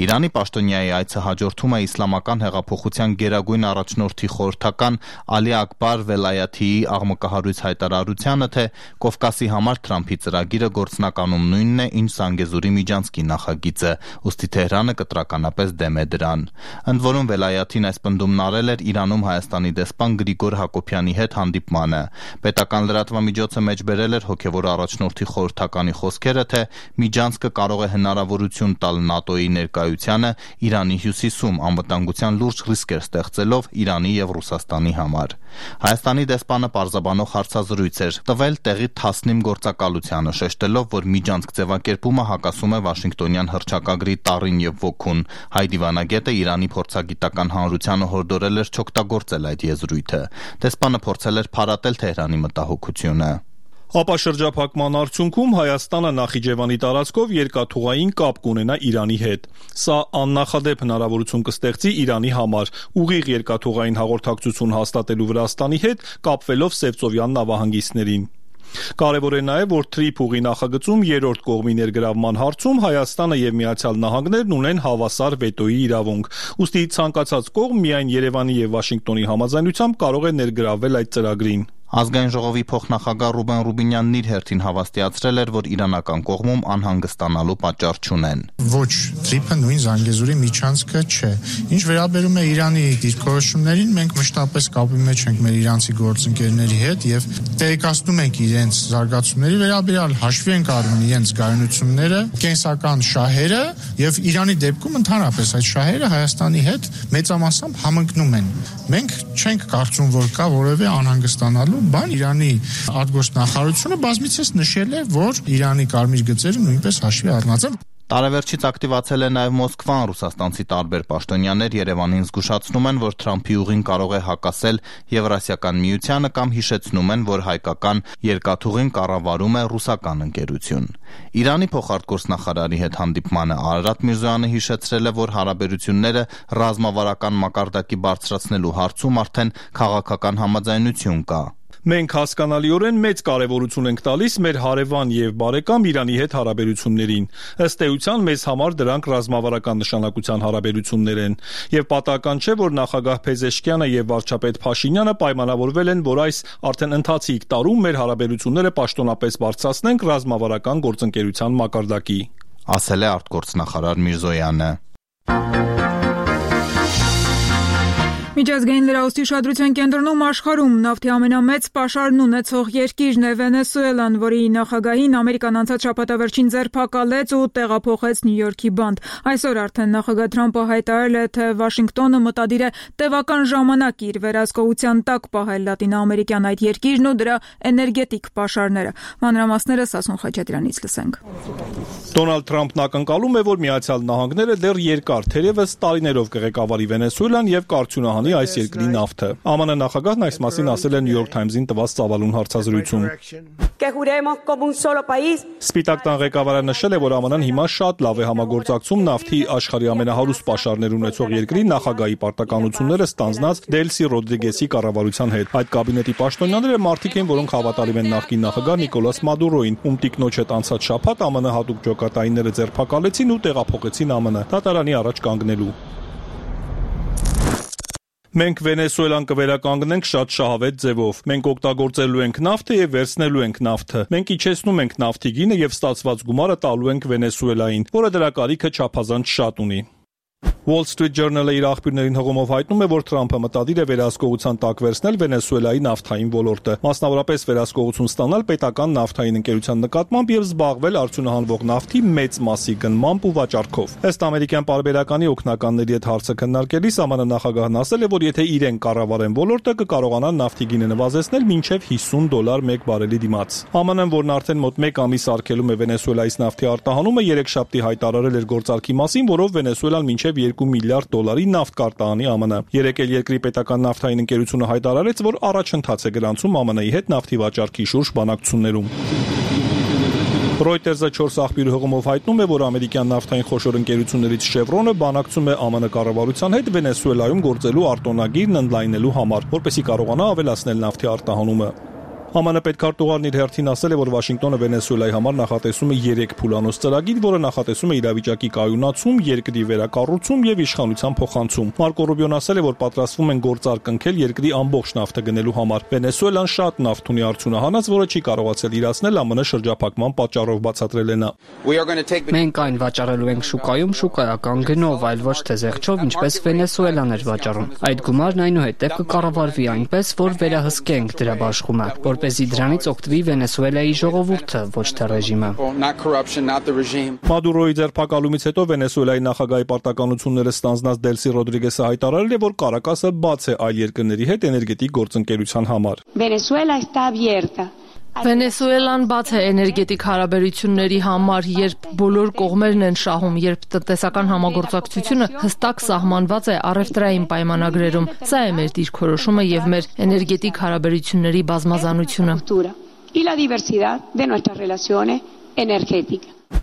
Իրանի պաշտոնյայի այցը հաջորդում է իսլամական հեղափոխության գերագույն առաջնորդի խորհրդական Ալի Աքբար Վելայաթիի աղմկահարույց հայտարարությանը, թե Կովկասի համար Թրամփի ծրագիրը գործնականում նույնն է, ինչ Զանգեզուրի միջանցքի նախագիծը, ուստի Թեհրանը կտրականապես դեմ է դրան։ Ընդ որում Վելայաթին այս պնդումն արել էր Իրանում Հայաստանի դեսպան Գրիգոր Հակոբյանի հետ հանդիպմանը։ Պետական լրատվամիջոցը մեջբերել էր հոգևոր առաջնորդի խորհրդականի խոսքերը, թե միջանցքը կարող է հնարավորություն տալ ՆԱՏՕ-ի ներկայությանը Իրանի հյուսիսում, անվտանգության լուրջ ռիսկեր ստեղծելով Իրանի եւ Ռուսաստանի համար։ Հայաստանի դեսպանը պարզաբանող հարցազրույց էր տվել տեղի Թասնիմ գործակալությանը, շեշտելով, որ միջանցք ձևակերպումը հակասում է Վաշինգտոնյան հռչակագրի տառին եւ ոգուն։ Հայ դիվանագետը Իրանի փորձագիտական հանրությանը հորդորել էր չօգտագործել այդ եզրույթը։ Դեսպանը փորձել էր փարատել Թեհրանի մտահոգությունը։ Ապաշրջափակման արդյունքում Հայաստանը Նախիջևանի տարածքով երկաթուղային կապ կունենա Իրանի հետ։ Սա աննախադեպ հնարավորություն կստեղծի Իրանի համար ուղիղ երկաթուղային հաղորդակցություն հաստատելու Վրաստանի հետ, կապվելով Սևծովյան նավահանգիստներին։ Կարևոր է նաև, որ Թրիփուղի նախագծում երրորդ կողմի ներգրավման հարցում Հայաստանը եւ Միացյալ Նահանգներն ունեն հավասար վետոյի իրավունք։ Ուստի ցանկացած կողմ միայն Երևանի եւ Վաշինգտոնի համաձայնությամբ կարող է ներգրավվել այդ ծրագրին։ Ազգային ժողովի փոխնախագահ Ռուբեն Ռուբինյանն իր հերթին հավաստիացրել էր, որ իրանական կողմում անհանգստանալու պատճառ չունեն։ Ոչ, Թրիփը նույն Զանգեզուրի միջանցքը չէ։ Ինչ վերաբերում է Իրանի դիրքորոշումներին, մենք մշտապես կապի մեջ ենք մեր իրանցի գործընկերների հետ եւ տեղեկացնում ենք իրենց զարգացումների վերաբերյալ, հաշվի ենք առնում իրենց գայունությունները, կենսական շահերը եւ Իրանի դեպքում ընդհանրապես այդ շահերը Հայաստանի հետ մեծամասամբ համընկնում են։ Մենք չենք կարծում, որ կա որևէ անհանգստանալու բան։ Իրանի արտգործնախարարությունը բազմիցս նշել է, որ Իրանի կարմիր գծերը նույնպես հաշվի առնած են։ Տարեվերջից ակտիվացել է նաև Մոսկվան, ռուսաստանցի տարբեր պաշտոնյաներ Երևանին զգուշացնում են, որ Թրամփի ուղին կարող է հակասել Եվրասիական միությանը կամ հիշեցնում են, որ հայկական երկաթուղին կառավարում է ռուսական ընկերություն։ Իրանի փոխարտգործնախարարի հետ հանդիպմանը Արարատ Միրզոյանը հիշեցրել է, որ հարաբերությունները ռազմավարական մակարդակի բարձրացնելու հարցում արդեն քաղաքական համաձայնություն կա։ Մենք հասկանալիորեն մեծ կարևորություն ենք տալիս մեր հարևան եւ բարեկամ Իրանի հետ հարաբերություններին։ Ըստ էության մեզ համար դրանք ռազմավարական նշանակության հարաբերություններ են, եւ պատահական չէ, որ նախագահ Փեզեշքյանը եւ վարչապետ Փաշինյանը պայմանավորվել են, որ այս արդեն ընթացիկ տարում մեր հարաբերությունները պաշտոնապես բարձրացնենք ռազմավարական գործընկերության մակարդակի, ասել է արտգործնախարար Միրզոյանը։ Միջազգային լրահոսի ուշադրության կենտրոնում աշխարհում նավթի ամենամեծ պաշարն ունեցող երկիրն է Վենեսուելան, որի նախագահին Ամերիկան անցած շաբաթավերջին ձերբակալեց ու տեղափոխեց Նյու Յորքի բանտ։ Այսօր արդեն նախագահ Թրամփը հայտարարել է, թե Վաշինգտոնը մտադիր է տևական ժամանակ իր վերահսկողության տակ պահել լատինոամերիկյան այդ երկիրն ու դրա էներգետիկ պաշարները։ Մանրամասները Սասուն Խաչատրյանից լսենք։ Դոնալդ Թրամփն ակնկալում է, որ Միացյալ Նահանգները դեռ երկար, թերևս տարիներով կղեկավարի Վենեսուելան եւ կարգունահանի այս երկրի նավթը։ ԱՄՆ նախագահն այս մասին ասել է New York Times-ին տված ծավալուն հարցազրույցում։ Սպիտակ տան ղեկավարը նշել է, որ ԱՄՆ-ն հիմա շատ լավ է համագործակցում նավթի աշխարհի ամենահարուստ պաշարներ ունեցող երկրի նախագահի պարտականությունները ստանձնած Դելսի Ռոդրիգեսի կառավարության հետ։ Այդ կաբինետի պաշտոնյաները մարդիկ են, որոնք հավատալիմ են նախկին նախագահ Նիկոլաս Մադուրոին, ում տիկնոջ հետ անցած շաբաթ ԱՄՆ հատուկ ջոկատայինները ձերբակալեցին ու տեղափոխեցին ԱՄՆ դատարանի առաջ կանգնելու։ Մենք Վենեսուելան կվերականգնենք շատ շահավետ ձևով։ Մենք օգտագործելու ենք նավթը եւ վերցնելու ենք նավթը։ Մենք իջեցնում ենք նավթի գինը եւ ստացված գումարը տալու ենք Վենեսուելային, որը դրա կարիքը չափազանց շատ ունի։ Wall Street Journal-ը իր աղբյուրներին հղումով հայտնում է, որ Թրամփը մտադիր է վերահսկողության տակ վերցնել Վենեսուելայի նավթային ոլորտը, մասնավորապես վերահսկողություն ստանալ պետական նավթային ընկերության նկատմամբ եւ զբաղվել արդյունահանվող նավթի մեծ մասի գնմամբ ու վաճառքով։ Ըստ ամերիկյան պարբերականի օգնականների հետ հարցը քննարկելիս ԱՄՆ նախագահն ասել է, որ եթե իրեն կառավարեն ոլորտը, կկարողանան նավթի գինը նվազեցնել մինչև $50 մեկ բարելի դիմաց։ ԱՄՆ-ն, որն արդեն մոտ 1 ամիս արգելում է Վենեսուելայից նավթի արտահանումը, երեքշաբթի հայտարարել էր գործարքի մասին, որով Վենեսուելան մինչև $2 միլիարդ նավթ կարտահանի ԱՄՆ։ Երեկ էլ երկրի պետական նավթային ընկերությունը հայտարարեց, որ առաջընթաց է գրանցում ԱՄՆ-ի հետ նավթի վաճառքի շուրջ բանակցություններում։ Reuters-ը 4 աղբյուրի հղումով հայտնում է, որ ամերիկյան նավթային խոշոր ընկերություններից Chevron-ը բանակցում է ԱՄՆ կառավարության հետ Վենեսուելայում գործելու արտոնագիրն ընդլայնելու համար, որպեսզի կարողանա ավելացնել նավթի արտահանումը։ ԱՄՆ պետքարտուղարն իր հերթին ասել է, որ Վաշինգտոնը Վենեսուելայի համար նախատեսում է 3 փուլանոց ծրագիր, որը նախատեսում է իրավիճակի կայունացում, երկրի վերակառուցում եւ իշխանության փոխանցում։ Մարկո Ռուբիոն ասել է, որ պատրաստվում են գործարք կնքել երկրի ամբողջ նավթը գնելու համար։ Վենեսուելան շատ նավթ ունի արդյունահանած, որը չի կարողացել իրացնել ԱՄՆ շրջափակման պատճառով, բացատրել է նա։ Մենք այն վաճառելու ենք շուկայում շուկայական գնով, այլ ոչ թե զեղչով, ինչպես Վենեսուելան էր վաճառում։ Այդ գումարն այնուհետև կկառավարվի այնպես, որ վերահսկենք դրա բաշխումը, որպեսզի դրանից օգտվի Վենեսուելայի ժողովուրդը, ոչ թե ռեժիմը։ Մադուրոյի ձերբակալումից հետո Վենեսուելայի նախագահի պարտականությունները ստանձնած Դելսի Ռոդրիգեսը հայտարարել է, որ Կարակասը բաց է այլ երկրների հետ էներգետիկ գործընկերության համար։ Վենեսուելան բաց է էներգետիկ հարաբերությունների համար, երբ բոլոր կողմերն են շահում, երբ տնտեսական համագործակցությունը հստակ սահմանված է առևտրային պայմանագրերում։ Սա է մեր դիրքորոշումը եւ մեր էներգետիկ հարաբերությունների բազմազանությունը։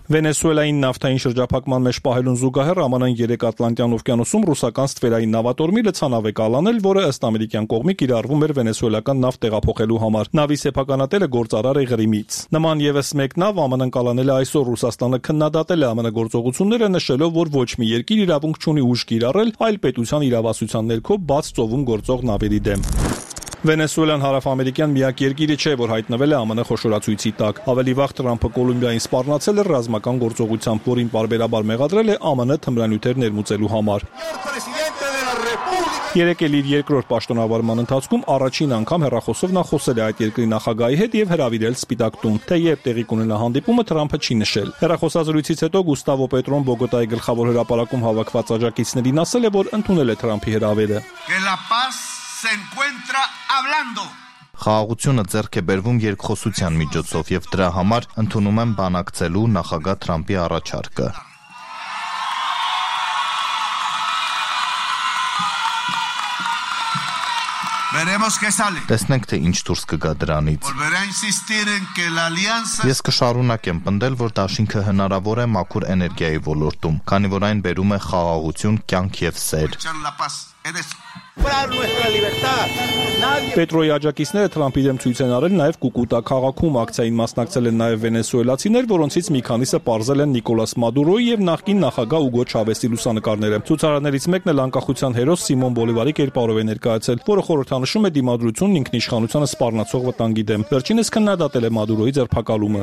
Վենեսուելային նավթային շրջափակման մեջ պահելուն զուգահեռ ԱՄՆ-ն 3 Ատլանտյան օվկիանոսում ռուսական ստվերային նավատորմի լցանավ է կալանել, որը ըստ ամերիկյան կողմի կիրառվում էր վենեսուելական նավթ տեղափոխելու համար։ Նավի սեփականատերը գործարար է Ղրիմից։ Նման եւս մեկ նավ ԱՄՆ-ն կալանել է այսօր։ Ռուսաստանը քննադատել է ԱՄՆ գործողությունները, նշելով, որ ոչ մի երկիր իրավունք չունի ուժ կիրառել այլ պետության իրավասության ներքո բաց ծովում գործող նավերի դեմ։ Վենեսուելան հարավամերիկյան միակ երկիրը չէ, որ հայտնվել է ԱՄՆ խոշորացույցի տակ։ Ավելի վաղ Թրամփը Կոլումբիային սպառնացել էր ռազմական գործողությամբ, որին պարբերաբար մեղադրել է ԱՄՆ թմրանյութեր ներմուծելու համար։ Երեկ էլ իր երկրորդ պաշտոնավարման ընթացքում առաջին անգամ հեռախոսով նա խոսել է այդ երկրի նախագահի հետ եւ հրավիրել Սպիտակ տուն։ Թե երբ տեղի կունենա հանդիպումը, Թրամփը չի նշել։ Հեռախոսազրույցից հետո Գուստավո Պետրոն Բոգոտայի գլխավոր հրապարակում հավաքված աջակիցներին ասել է, որ ընդունել է Թրամփի հրավերը։ Խաղաղությունը ձեռք է բերվում երկխոսության միջոցով եւ դրա համար ընդունում եմ բանակցելու նախագահ Թրամփի առաջարկը։ Տեսնենք, թե ինչ դուրս կգա դրանից։ Ես կշարունակեմ պնդել, որ դաշինքը հնարավոր է մաքուր էներգիայի ոլորտում, քանի որ այն բերում է խաղաղություն, կյանք եւ սեր։ Պետրոյի աջակիցները Թրամփի դեմ ցույց են արել նաև Կուկուտա քաղաքում ակցիային մասնակցել են նաև վենեսուելացիներ, որոնցից մի քանիսը պարզել են Նիկոլաս Մադուրոյի եւ նախկին նախագահ Ուգո Չավեսի լուսանկարները։ Ցուցարարներից մեկն էլ անկախության հերոս Սիմոն Բոլիվարի կերպարով է ներկայացել, որը խորհրդանշում է դիմադրությունն ինքնիշխանությանը սպառնացող վտանգի դեմ։ Վերջինս քննադատել է Մադուրոյի ձերբակալումը։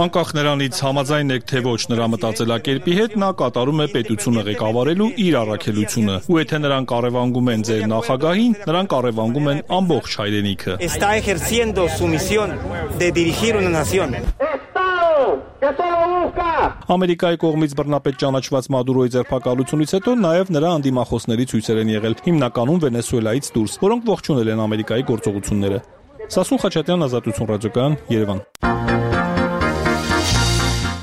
Անկախ նրանից համաձայն եք թե ոչ նրա մտածելակերպի հետ, նա կատարում է պետությունը ղեկավարելու իր առաքելությունը, ու եթե նրանք կարևանգում են ձեր նախագահին, նրանք կարևանգում են ամբողջ հայրենիքը։ Ամերիկայի կողմից բռնապետ ճանաչված Մադուրոյի ձերբակալությունից հետո նաև նրա անդիմախոսների ցույցեր են եղել, հիմնականում Վենեսուելայից դուրս, որոնք ողջունել են Ամերիկայի գործողությունները։ Սասուն Խաչատյան, Ազատություն ռադիոկայան, Երևան։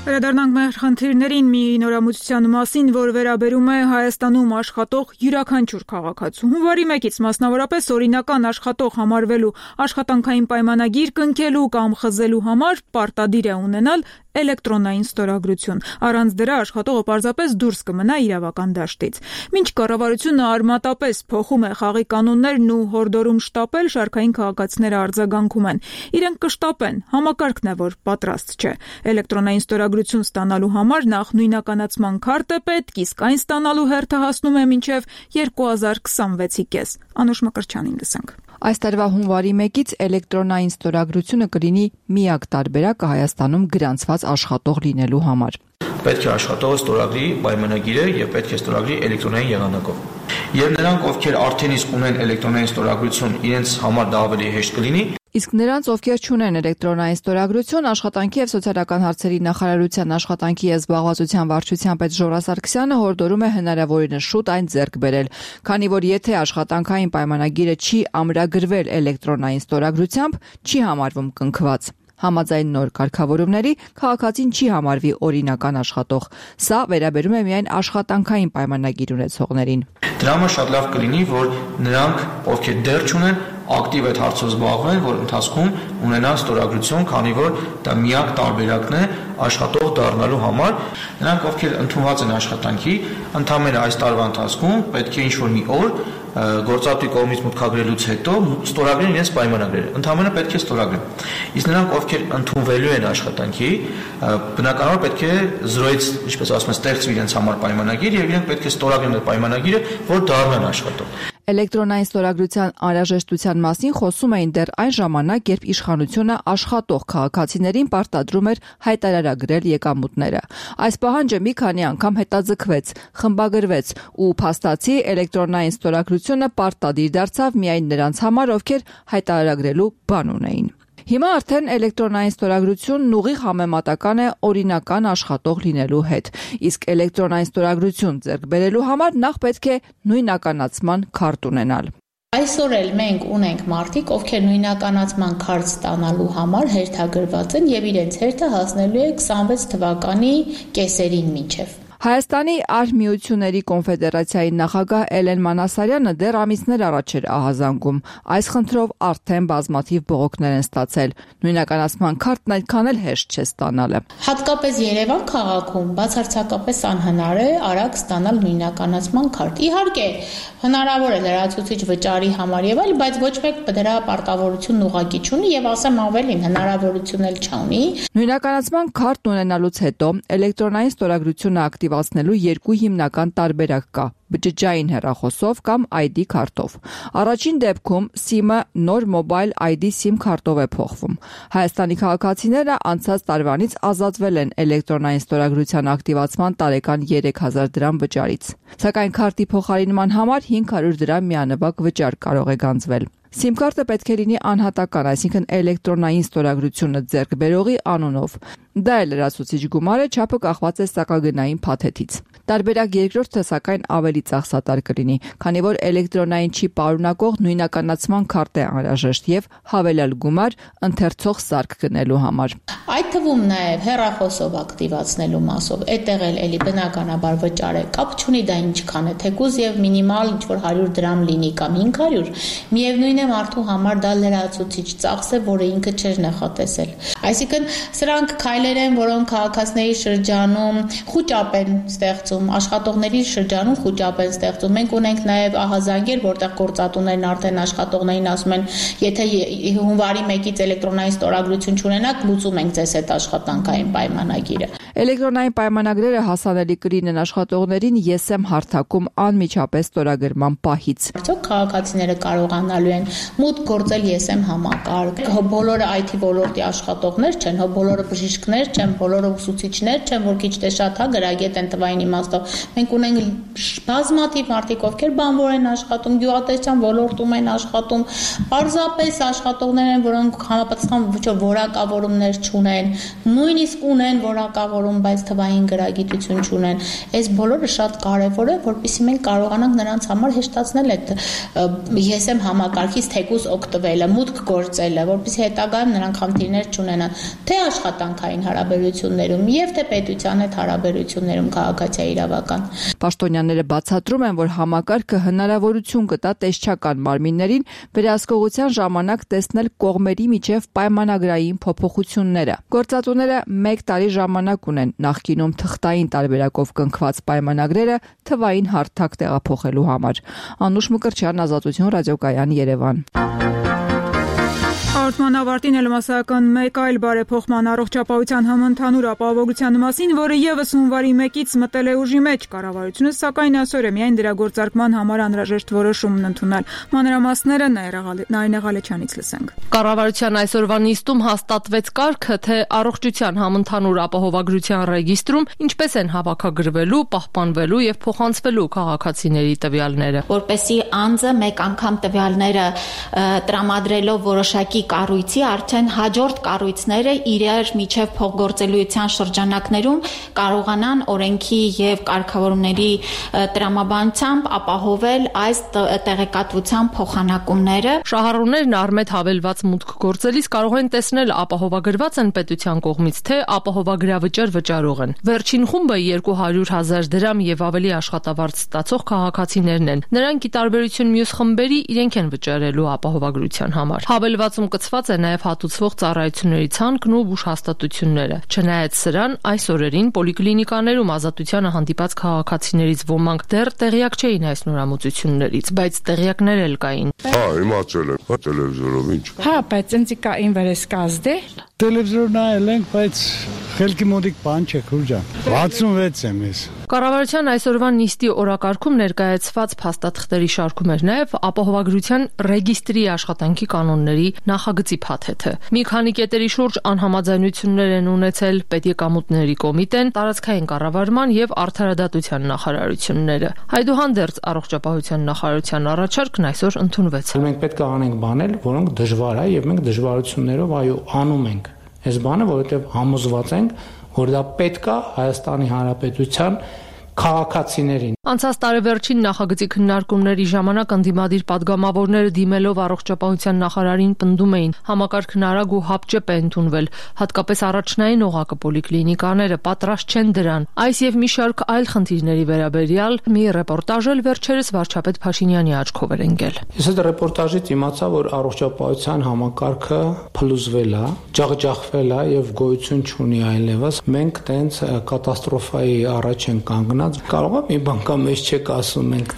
Վերադառնանք մեր խնդիրներին մի նորամուծության մասին, որ վերաբերում է Հայաստանում աշխատող յուրաքանչյուր քաղաքացու։ Հունվարի 1-ից մասնավորապես օրինական աշխատող համարվելու աշխատանքային պայմանագիր կնքելու կամ խզելու համար պարտադիր է ունենալ էլեկտրոնային ստորագրություն։ Առանց դրա աշխատողը պարզապես դուրս կմնա իրավական դաշտից։ Մինչ կառավարությունը արմատապես փոխում է խաղի կանոններն ու հորդորում շտապել, շարքային քաղաքացիները արձագանքում են։ Իրենք կշտապեն, համակարգն է, որ պատրաստ չէ։ Էլեկտրոնային ստորագրություն ստանալու համար նախ նույնականացման քարտ է պետք, իսկ այն ստանալու հերթը հասնում է մինչև 2026-ի կես։ Անուշ Մկրտչյանին լսենք։ Այս տարվա հունվարի 1-ից էլեկտրոնային ստորագրությունը կլինի միակ տարբերակը Հայաստանում գրանցված աշխատող լինելու համար։ Պետք է աշխատողը ստորագրի պայմանագիրը եւ պետք է ստորագրի էլեկտրոնային եղանակով։ Եվ նրանք, ովքեր արդեն իսկ ունեն էլեկտրոնային ստորագրություն, իրենց համար դա ավելի հեշտ կլինի։ Իսկ նրանց, ովքեր չունեն էլեկտրոնային ստորագրություն, Աշխատանքի եւ սոցիալական հարցերի նախարարության աշխատանքի եւ զբաղվածության վարչության պետ Ժորա Սարգսյանը հորդորում է հնարավորինս շուտ այն ձեռք բերել, քանի որ եթե աշխատանքային պայմանագիրը չի ամրագրվել էլեկտրոնային ստորագրությամբ, չի համարվում կնքված։ Համաձայն նոր կարգավորումների քաղաքացին չի համարվի օրինական աշխատող։ Սա վերաբերում է միայն աշխատանքային պայմանագիր ունեցողներին։ Դրա համար շատ լավ կլինի, որ նրանք, ովքեր դեռ չունեն, ակտիվ այդ հարցով զբաղվեն, որ ընթացքում ունենան ստորագրություն, քանի որ դա միակ տարբերակն է աշխատող դառնալու համար։ Նրանք, ովքեր ընդունված են աշխատանքի, ընդամենը այս տարվա ընթացքում պետք է ինչ-որ մի օր գործատուի կողմից մուտքագրելուց հետո ստորագրեն իրենց պայմանագրերը։ Ընդամենը պետք է ստորագրեն։ Իսկ նրանք, ովքեր ընդունվելու են աշխատանքի, բնականաբար պետք է 0-ից, ինչպես ասում են, ստեղծվի իրենց համար պայմանագիր եւ իրենք պետք է ստորագրեն այդ պայմանագիրը, որ դառնան աշխատող։ Էլեկտրոնային ստորագրության անհրաժեշտության մասին խոսում էին դեռ այն ժամանակ, երբ իշխանությունը աշխատող քաղաքացիներին պարտադրում էր հայտարարագրել եկամուտները։ Այս պահանջը մի քանի անգամ հետաձգվեց, խմբագրվեց ու փաստացի էլեկտրոնային ստորագրությունը պարտադիր դարձավ միայն նրանց համար, ովքեր հայտարարագրելու բան ունեին։ Հիմա արդեն էլեկտրոնային ստորագրությունն ուղիղ համեմատական է օրինական աշխատող լինելու հետ, իսկ էլեկտրոնային ստորագրություն ձեռք բերելու համար նախ պետք է նույնականացման քարտ ունենալ։ Այսօր էլ մենք ունենք մարդիկ, ովքեր նույնականացման քարտ ստանալու համար հերթագրված են եւ իրենց հերթը հասնելու է 26 թվականի կեսերին մինչեւ։ Հայաստանի Արհմիությունների կոնֆեդերացիայի նախագահ Էլեն Մանասարյանը դեռ ամիսներ առաջ էր ահազանգում։ Այս խնդրով արդեն բազմաթիվ բողոքներ են ստացել։ Նույնականացման քարտն այդքան էլ հեշտ չէ ստանալը։ Հատկապես Երևան քաղաքում բացարձակապես անհնար է արագ ստանալ նույնականացման քարտ։ Իհարկե, հնարավոր է լրացուցիչ վճարի համար եւ այլ, բայց ոչ մեկ դրա պարտավորությունն ուղղակի չունի եւ ասեմ ավելին, հնարավորություն էլ չունի։ Նույնականացման քարտ ունենալուց հետո էլեկտրոնային ստորագրությունը ակտիվացնելու երկու հիմնական տարբերակ կա՝ բջջային հեռախոսով կամ ID քարտով։ Առաջին դեպքում SIM-ը նոր Mobile ID SIM քարտով է փոխվում։ Հայաստանի քաղաքացիները անցած տարվանից ազատվել են էլեկտրոնային ստորագրության ակտիվացման տարեկան 3000 դրամ վճարից։ Սակայն քարտի փոխարինման համար 500 դրամ միանվագ վճար կարող է գանձվել։ SIM քարտը պետք է լինի անհատական, այսինքն էլեկտրոնային ստորագրությունը ձեռք բերողի անունով։ Դա էլ լրացուցիչ գումար է, չափը կախված է սակագնային փաթեթից։ Տարբերակ երկրորդը սակայն ավելի ծախսատար կլինի, քանի որ էլեկտրոնային չիպ պարունակող նույնականացման քարտ է անհրաժեշտ եւ հավելյալ գումար ընթերցող սարք գնելու համար։ Այդ թվում նաև հեռախոսով ակտիվացնելու մասով այդտեղ էլի բնականաբար վճար է, կապ չունի դա ինչքան է, թեկուզ եւ մինիմալ ինչ-որ 100 դրամ լինի կամ 500, միևնույն է մարդու համար դա լրացուցիչ ծախս է, որը ինքը չէր նախատեսել։ Այսինքն սրանք քայլեր են, որոնք քաղաքացիների շրջանում խուճապ են ստեղծում, աշխատողների շրջանում խուճապ են ստեղծում։ Մենք ունենք նաև ահազանգեր, որտեղ գործատուներն արդեն աշխատողներին ասում են, եթե հունվարի 1-ից էլեկտրոնային ստորագրություն չունենաք, լուծում ենք ձեզ այդ աշխատանքային պայմանագիրը։ Էլեկտրոնային պայմանագրերը հասանելի կլինեն աշխատողներին ԵՍՄ հարթակում անմիջապես ստորագրման պահից։ Արդյոք քաղաքացիները կարողանալու են մուտք գործել ԵՍՄ համակարգ։ Բոլորը IT ոլորտի աշխատողներ չեն, բոլորը բժիշկներ չեն, բոլորը ուսուցիչներ չեն, որ քիչ թե շատ գրագետ են թվային իմաստով։ Մենք ունենք բազմաթիվ մարդիկ, ովքեր բանվոր են աշխատում, գյուղատնտեսության ոլորտում են աշխատում, պարզապես աշխատողներ են, որոնք համապատասխան որակավորումներ չունեն, նույնիսկ ունեն որակավորում, բայց թվային գրագիտություն չունեն։ Այս բոլորը շատ կարևոր է, որպեսզի մենք կարողանանք նրանց համար հեշտացնել այդ ԵՍՄ համակարգից թեկուզ օգտվելը, մուտք գործելը, որպեսզի հետագայում նրանք խնդիրներ չունենան, թե աշխատանքային հարաբերություններում եւ թե պետության հետ հարաբերություններում քաղաքացիայի իրավական։ Պաշտոնյաները բացատրում են, որ համակարգը հնարավորություն կտա տեսչական մարմիններին վերահսկողության ժամանակ տեսնել կողմերի միջև պայմանագրային փոփոխությունները։ Գործատուները 1 տարի ժամանակ ունեն նախկինում թղթային տարբերակով կնքված պայմանագրերը թվային հարթակ տեղափոխելու համար։ Անուշ Մկրտչյան, Ազատություն, ռադիոկայան, Երևան։ Հաղորդման ավարտին էլ մասսայական մեկ այլ բարեփոխման առողջապահության համընդհանուր ապահովության մասին, որը եւս հունվարի 1-ից մտել է ուժի մեջ, կառավարությունը սակայն այսօր է միայն դրա գործարկման համար անհրաժեշտ որոշումն ընդունել։ Մանրամասները Նարինե Ղալեչյանից լսենք։ Կառավարության այսօրվա նիստում հաստատվեց կարգը, թե առողջության համընդհանուր ապահովագրության ռեգիստրում ինչպես են հավաքագրվելու, պահպանվելու եւ փոխանցվելու քաղաքացիների տվյալները, որպեսզի անձը մեկ անգամ տվյալները տրամադրելով որոշակի կառույցի արդեն հաջորդ կառույցները իրար միջև փոխգործելիության շրջանակներում կարողանան օրենքի եւ կարգավորումների տրամաբանությամբ ապահովել այս տեղեկատվության փոխանակումները։ Շահառուներն Արմետ հավելված մուտք գործելիս կարող են տեսնել ապահովագրված են պետության կողմից, թե ապահովագրավճար վճարող են։ Վերջին խումբը 200,000 դրամ եւ ավելի աշխատավարձ ստացող քաղաքացիներն են։ Նրանք ի տարբերություն մյուս խմբերի իրենք են վճարելու ապահովագրության համար։ Հավելվածում կցված է նաև հատուցվող ծառայությունների ցանկն ու բուժհաստատությունները։ Չնայած սրան, այս օրերին պոլիկլինիկաներում ազատությանը հանդիպած քաղաքացիներից ոմանք դեռ տեղյակ չէին այս նորամուծություններից, բայց տեղյակներ էլ կային։ Իմացել եմ, տելևիզորով ինչ։ Բայց ինձ կա ինվերեսկազդե։ Տելևիզոր նայել ենք, բայց խելքի մոտիկ բան չէ, քուրջան։ 66 եմ ես։ Կառավարության այսօրվա նիստի օրակարգում ներկայացված փաստաթղթերի շարքում էր նաև ապահովագրության ռեգիստրի աշխատանքի կանոնների նախագծի փաթեթը։ Մի քանի կետերի շուրջ անհամաձայնություններ են ունեցել Պետեկամուտների կոմիտեն, տարածքային կառավարման եւ արդարադատության նախարարությունները։ Այդուհանդերձ առողջապահության նախարարության առաջարկն այսօր ընդունվեց։ Մենք պետք է անենք բաներ, որոնք դժվար է եւ մենք դժվարություններով այո անում ենք այս բանը, որովհետեւ համոզված ենք, որ դա պետք է Հայաստանի Հանրապետության քաղաքացիներին։ Անցած տարեվերջին նախագծի քննարկումների ժամանակ ընդդիմադիր падգամավորները դիմելով առողջապահության նախարարին պնդում էին, համակարգն արագ ու հապճեպ է ընդունվել, հատկապես առաջնային օղակը պոլիկլինիկաները պատրաստ չեն դրան։ Այս եւ մի շարք այլ խնդիրների վերաբերյալ մի ռեպորտաժ էլ վերջերս վարչապետ Փաշինյանի աչքով էր ընկել։ Ես այդ ռեպորտաժից իմացա, որ առողջապահության համակարգը փլուզվել է, ջախջախվել է եւ գոյություն չունի այլևս։ Մենք տենց կատաստրոֆայի առաջ ենք կանգնած։ Կարող է մի բան կամ մեզ չեք ասում, մենք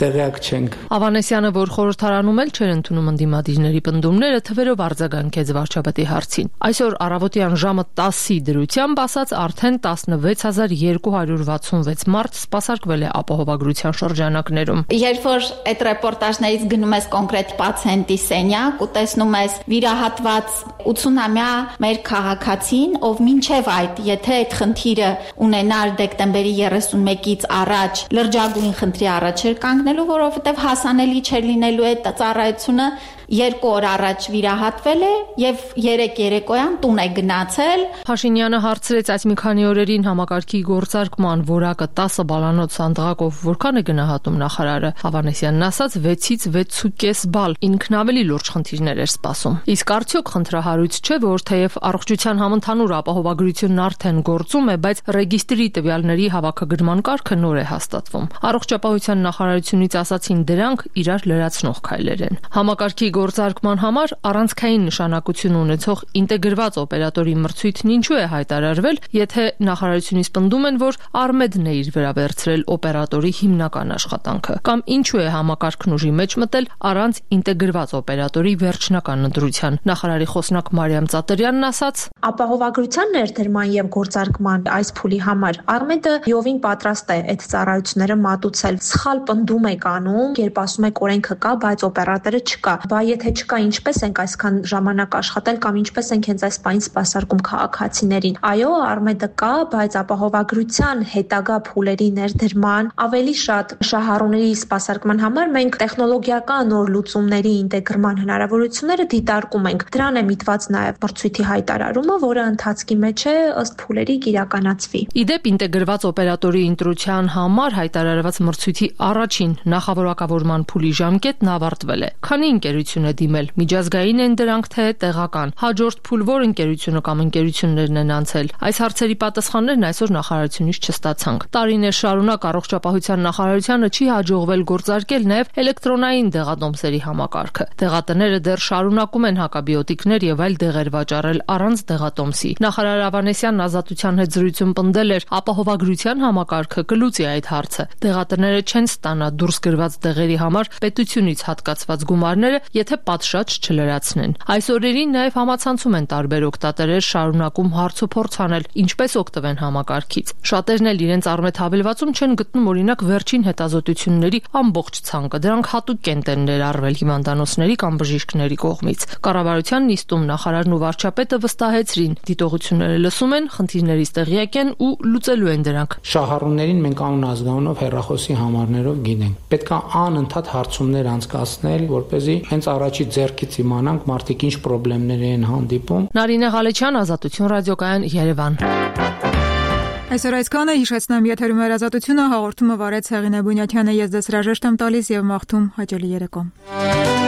տեղյակ չենք։ Ավանեսյանը, որ խորհրդարանում էլ չէր ընդունում ընդդիմադիրների պնդումները, թվերով արձագանքեց վարչապետի հարցին։ Այսօր առավոտյան ժամը 10-ի դրությամբ ասած արդեն 16266 մարդ սպասարկվել է ապահովագրության շրջանակներում։ Երբ որ այդ ռեպորտաժներից գնում ես կոնկրետ պացիենտի սենյակ ու տեսնում ես վիրահատված 80-ամյա մեր քաղաքացին, ով մինչև այդ, եթե այդ խնդիրը ունենար դեկտեմբերի 31-ից առաջ լրջագույն խնդրի առաջ էր կանգնելու, որովհետև հասանելի չէր լինելու այդ ծառայությունը 2 օր առաջ վիրահատվել է եւ 3 երեկոյան տուն է գնացել։ Փաշինյանը հարցրեց այս մի քանի օրերին համակարգի գործարկման որակը 10 բալանոց սանդղակով որքան է գնահատում նախարարը։ Հավանեսյանն ասաց 6-ից 6.5 բալ, ինքն ավելի լուրջ խնդիրներ էր սպասում։ Իսկ արդյոք խնդրահարույց չէ, որ թեև առողջության համընդհանուր ապահովագրությունն արդեն գործում է, բայց ռեգիստրի տվյալների հավաքագրման կարգը նոր է հաստատվում։ Առողջապահության նախարարությունից ասացին դրանք իրար լրացնող քայլեր են։ Համակարգի գործարկման համար առանցքային նշանակություն ունեցող ինտեգրված օպերատորի մրցույթն ինչու է հայտարարվել, եթե նախարարությունից պնդում են, որ Արմեդն է իր վրա վերցրել օպերատորի հիմնական աշխատանքը, կամ ինչու է համակարգն ուժի մեջ մտել առանց ինտեգրված օպերատորի վերջնական ընտրության։ Նախարարի խոսնակ Մարիամ Ծատերյանն ասաց. Ապահովագրության ներդրման եւ գործարկման այս փուլի համար Արմեդը յովին պատրաստ է այդ ծառայությունները մատուցել։ Սխալ պնդում եք անում, երբ ասում եք օրենքը կա, բայց օպերատորը չկա։ Բա եթե չկա, ինչպես ենք այսքան ժամանակ աշխատել կամ ինչպես ենք հենց այս պահին սպասարկում քաղաքացիներին։ Այո, Արմեդը կա, բայց ապահովագրության հետագա փուլերի ներդրման ավելի շատ շահառուների սպասարկման համար մենք տեխնոլոգիական նոր լուծումների ինտեգրման հնարավորությունները դիտարկում ենք։ Դրան է միտված նաև մրցույթի հայտարարումը, որը ընթացքի մեջ է ըստ փուլերի կիրականացվի։ Իդեպ ինտեգրված օպերատորի ընտրության համար հայտարարված մրցույթի առաջին նախավորակավորման փուլի ժամկետն ավարտվել է։ Քանի ընկերություն է դիմել, միջազգային են դրանք թե տեղական։ Հաջորդ փուլ որ ընկերությունը կամ ընկերություններն են անցել։ Այս հարցերի պատասխաններն այսօր նախարարությունից չստացանք։ Տարիներ շարունակ առողջապահության նախարարությանը չի հաջողվել գործարկել նաև էլեկտրոնային դեղատոմսերի համակարգը։ Դեղատները դեռ շարունակում են հակաբիոտիկներ եւ այլ դեղեր վաճառել առանց դեղատոմսի։ Նախարար Ավանեսյանն Ազատության հետ զրույցում պնդել էր, ապահովագրության համակարգը կլուծի այդ հարցը։ Դեղատները չեն ստանա դուրս գրված դեղերի համար պետությունից հատկացված գումարները, եթե պատշաճ չլրացնեն։ Այս օրերին նաև համացանցում են տարբեր օգտատերեր շարունակում հարցուփորձ անել, ինչպես օգտվեն համակարգից։ Շատերն էլ իրենց Արմեդ հավելվածում չեն գտնում օրինակ վերջին հետազոտությունների ամբողջ ցանկը։ Դրանք հատուկ կենտ են ներառվել հիվանդանոցների կամ բժիշկների կողմից։ Կառավարության նիստում նախարարն ու վարչապետը վստահեցրին, դիտողությունները լսում են, խնդիրներից տեղյակ են ու լուծելու են դրանք։ Շահառուներին մենք անուն ազգանունով հեռախոսի համարներով գինենք։ Պետք է անընդհատ հարցումներ անցկացնել, որպեսզի հենց առաջի ձեռքից իմանանք մարդիկ ինչ խնդիրներ են հանդիպում։ Նարինե Ղալեչյան, Ազատություն ռադիոկայան, Երևան։ Այսօր այսքանը, հիշեցնեմ, եթերում Ազատությունը, հաղորդումը վարեց Հեղինե Բունյաթյանը, ես դες հրաժեշտ եմ տալիս եւ մաղթում հաճելի երեկո։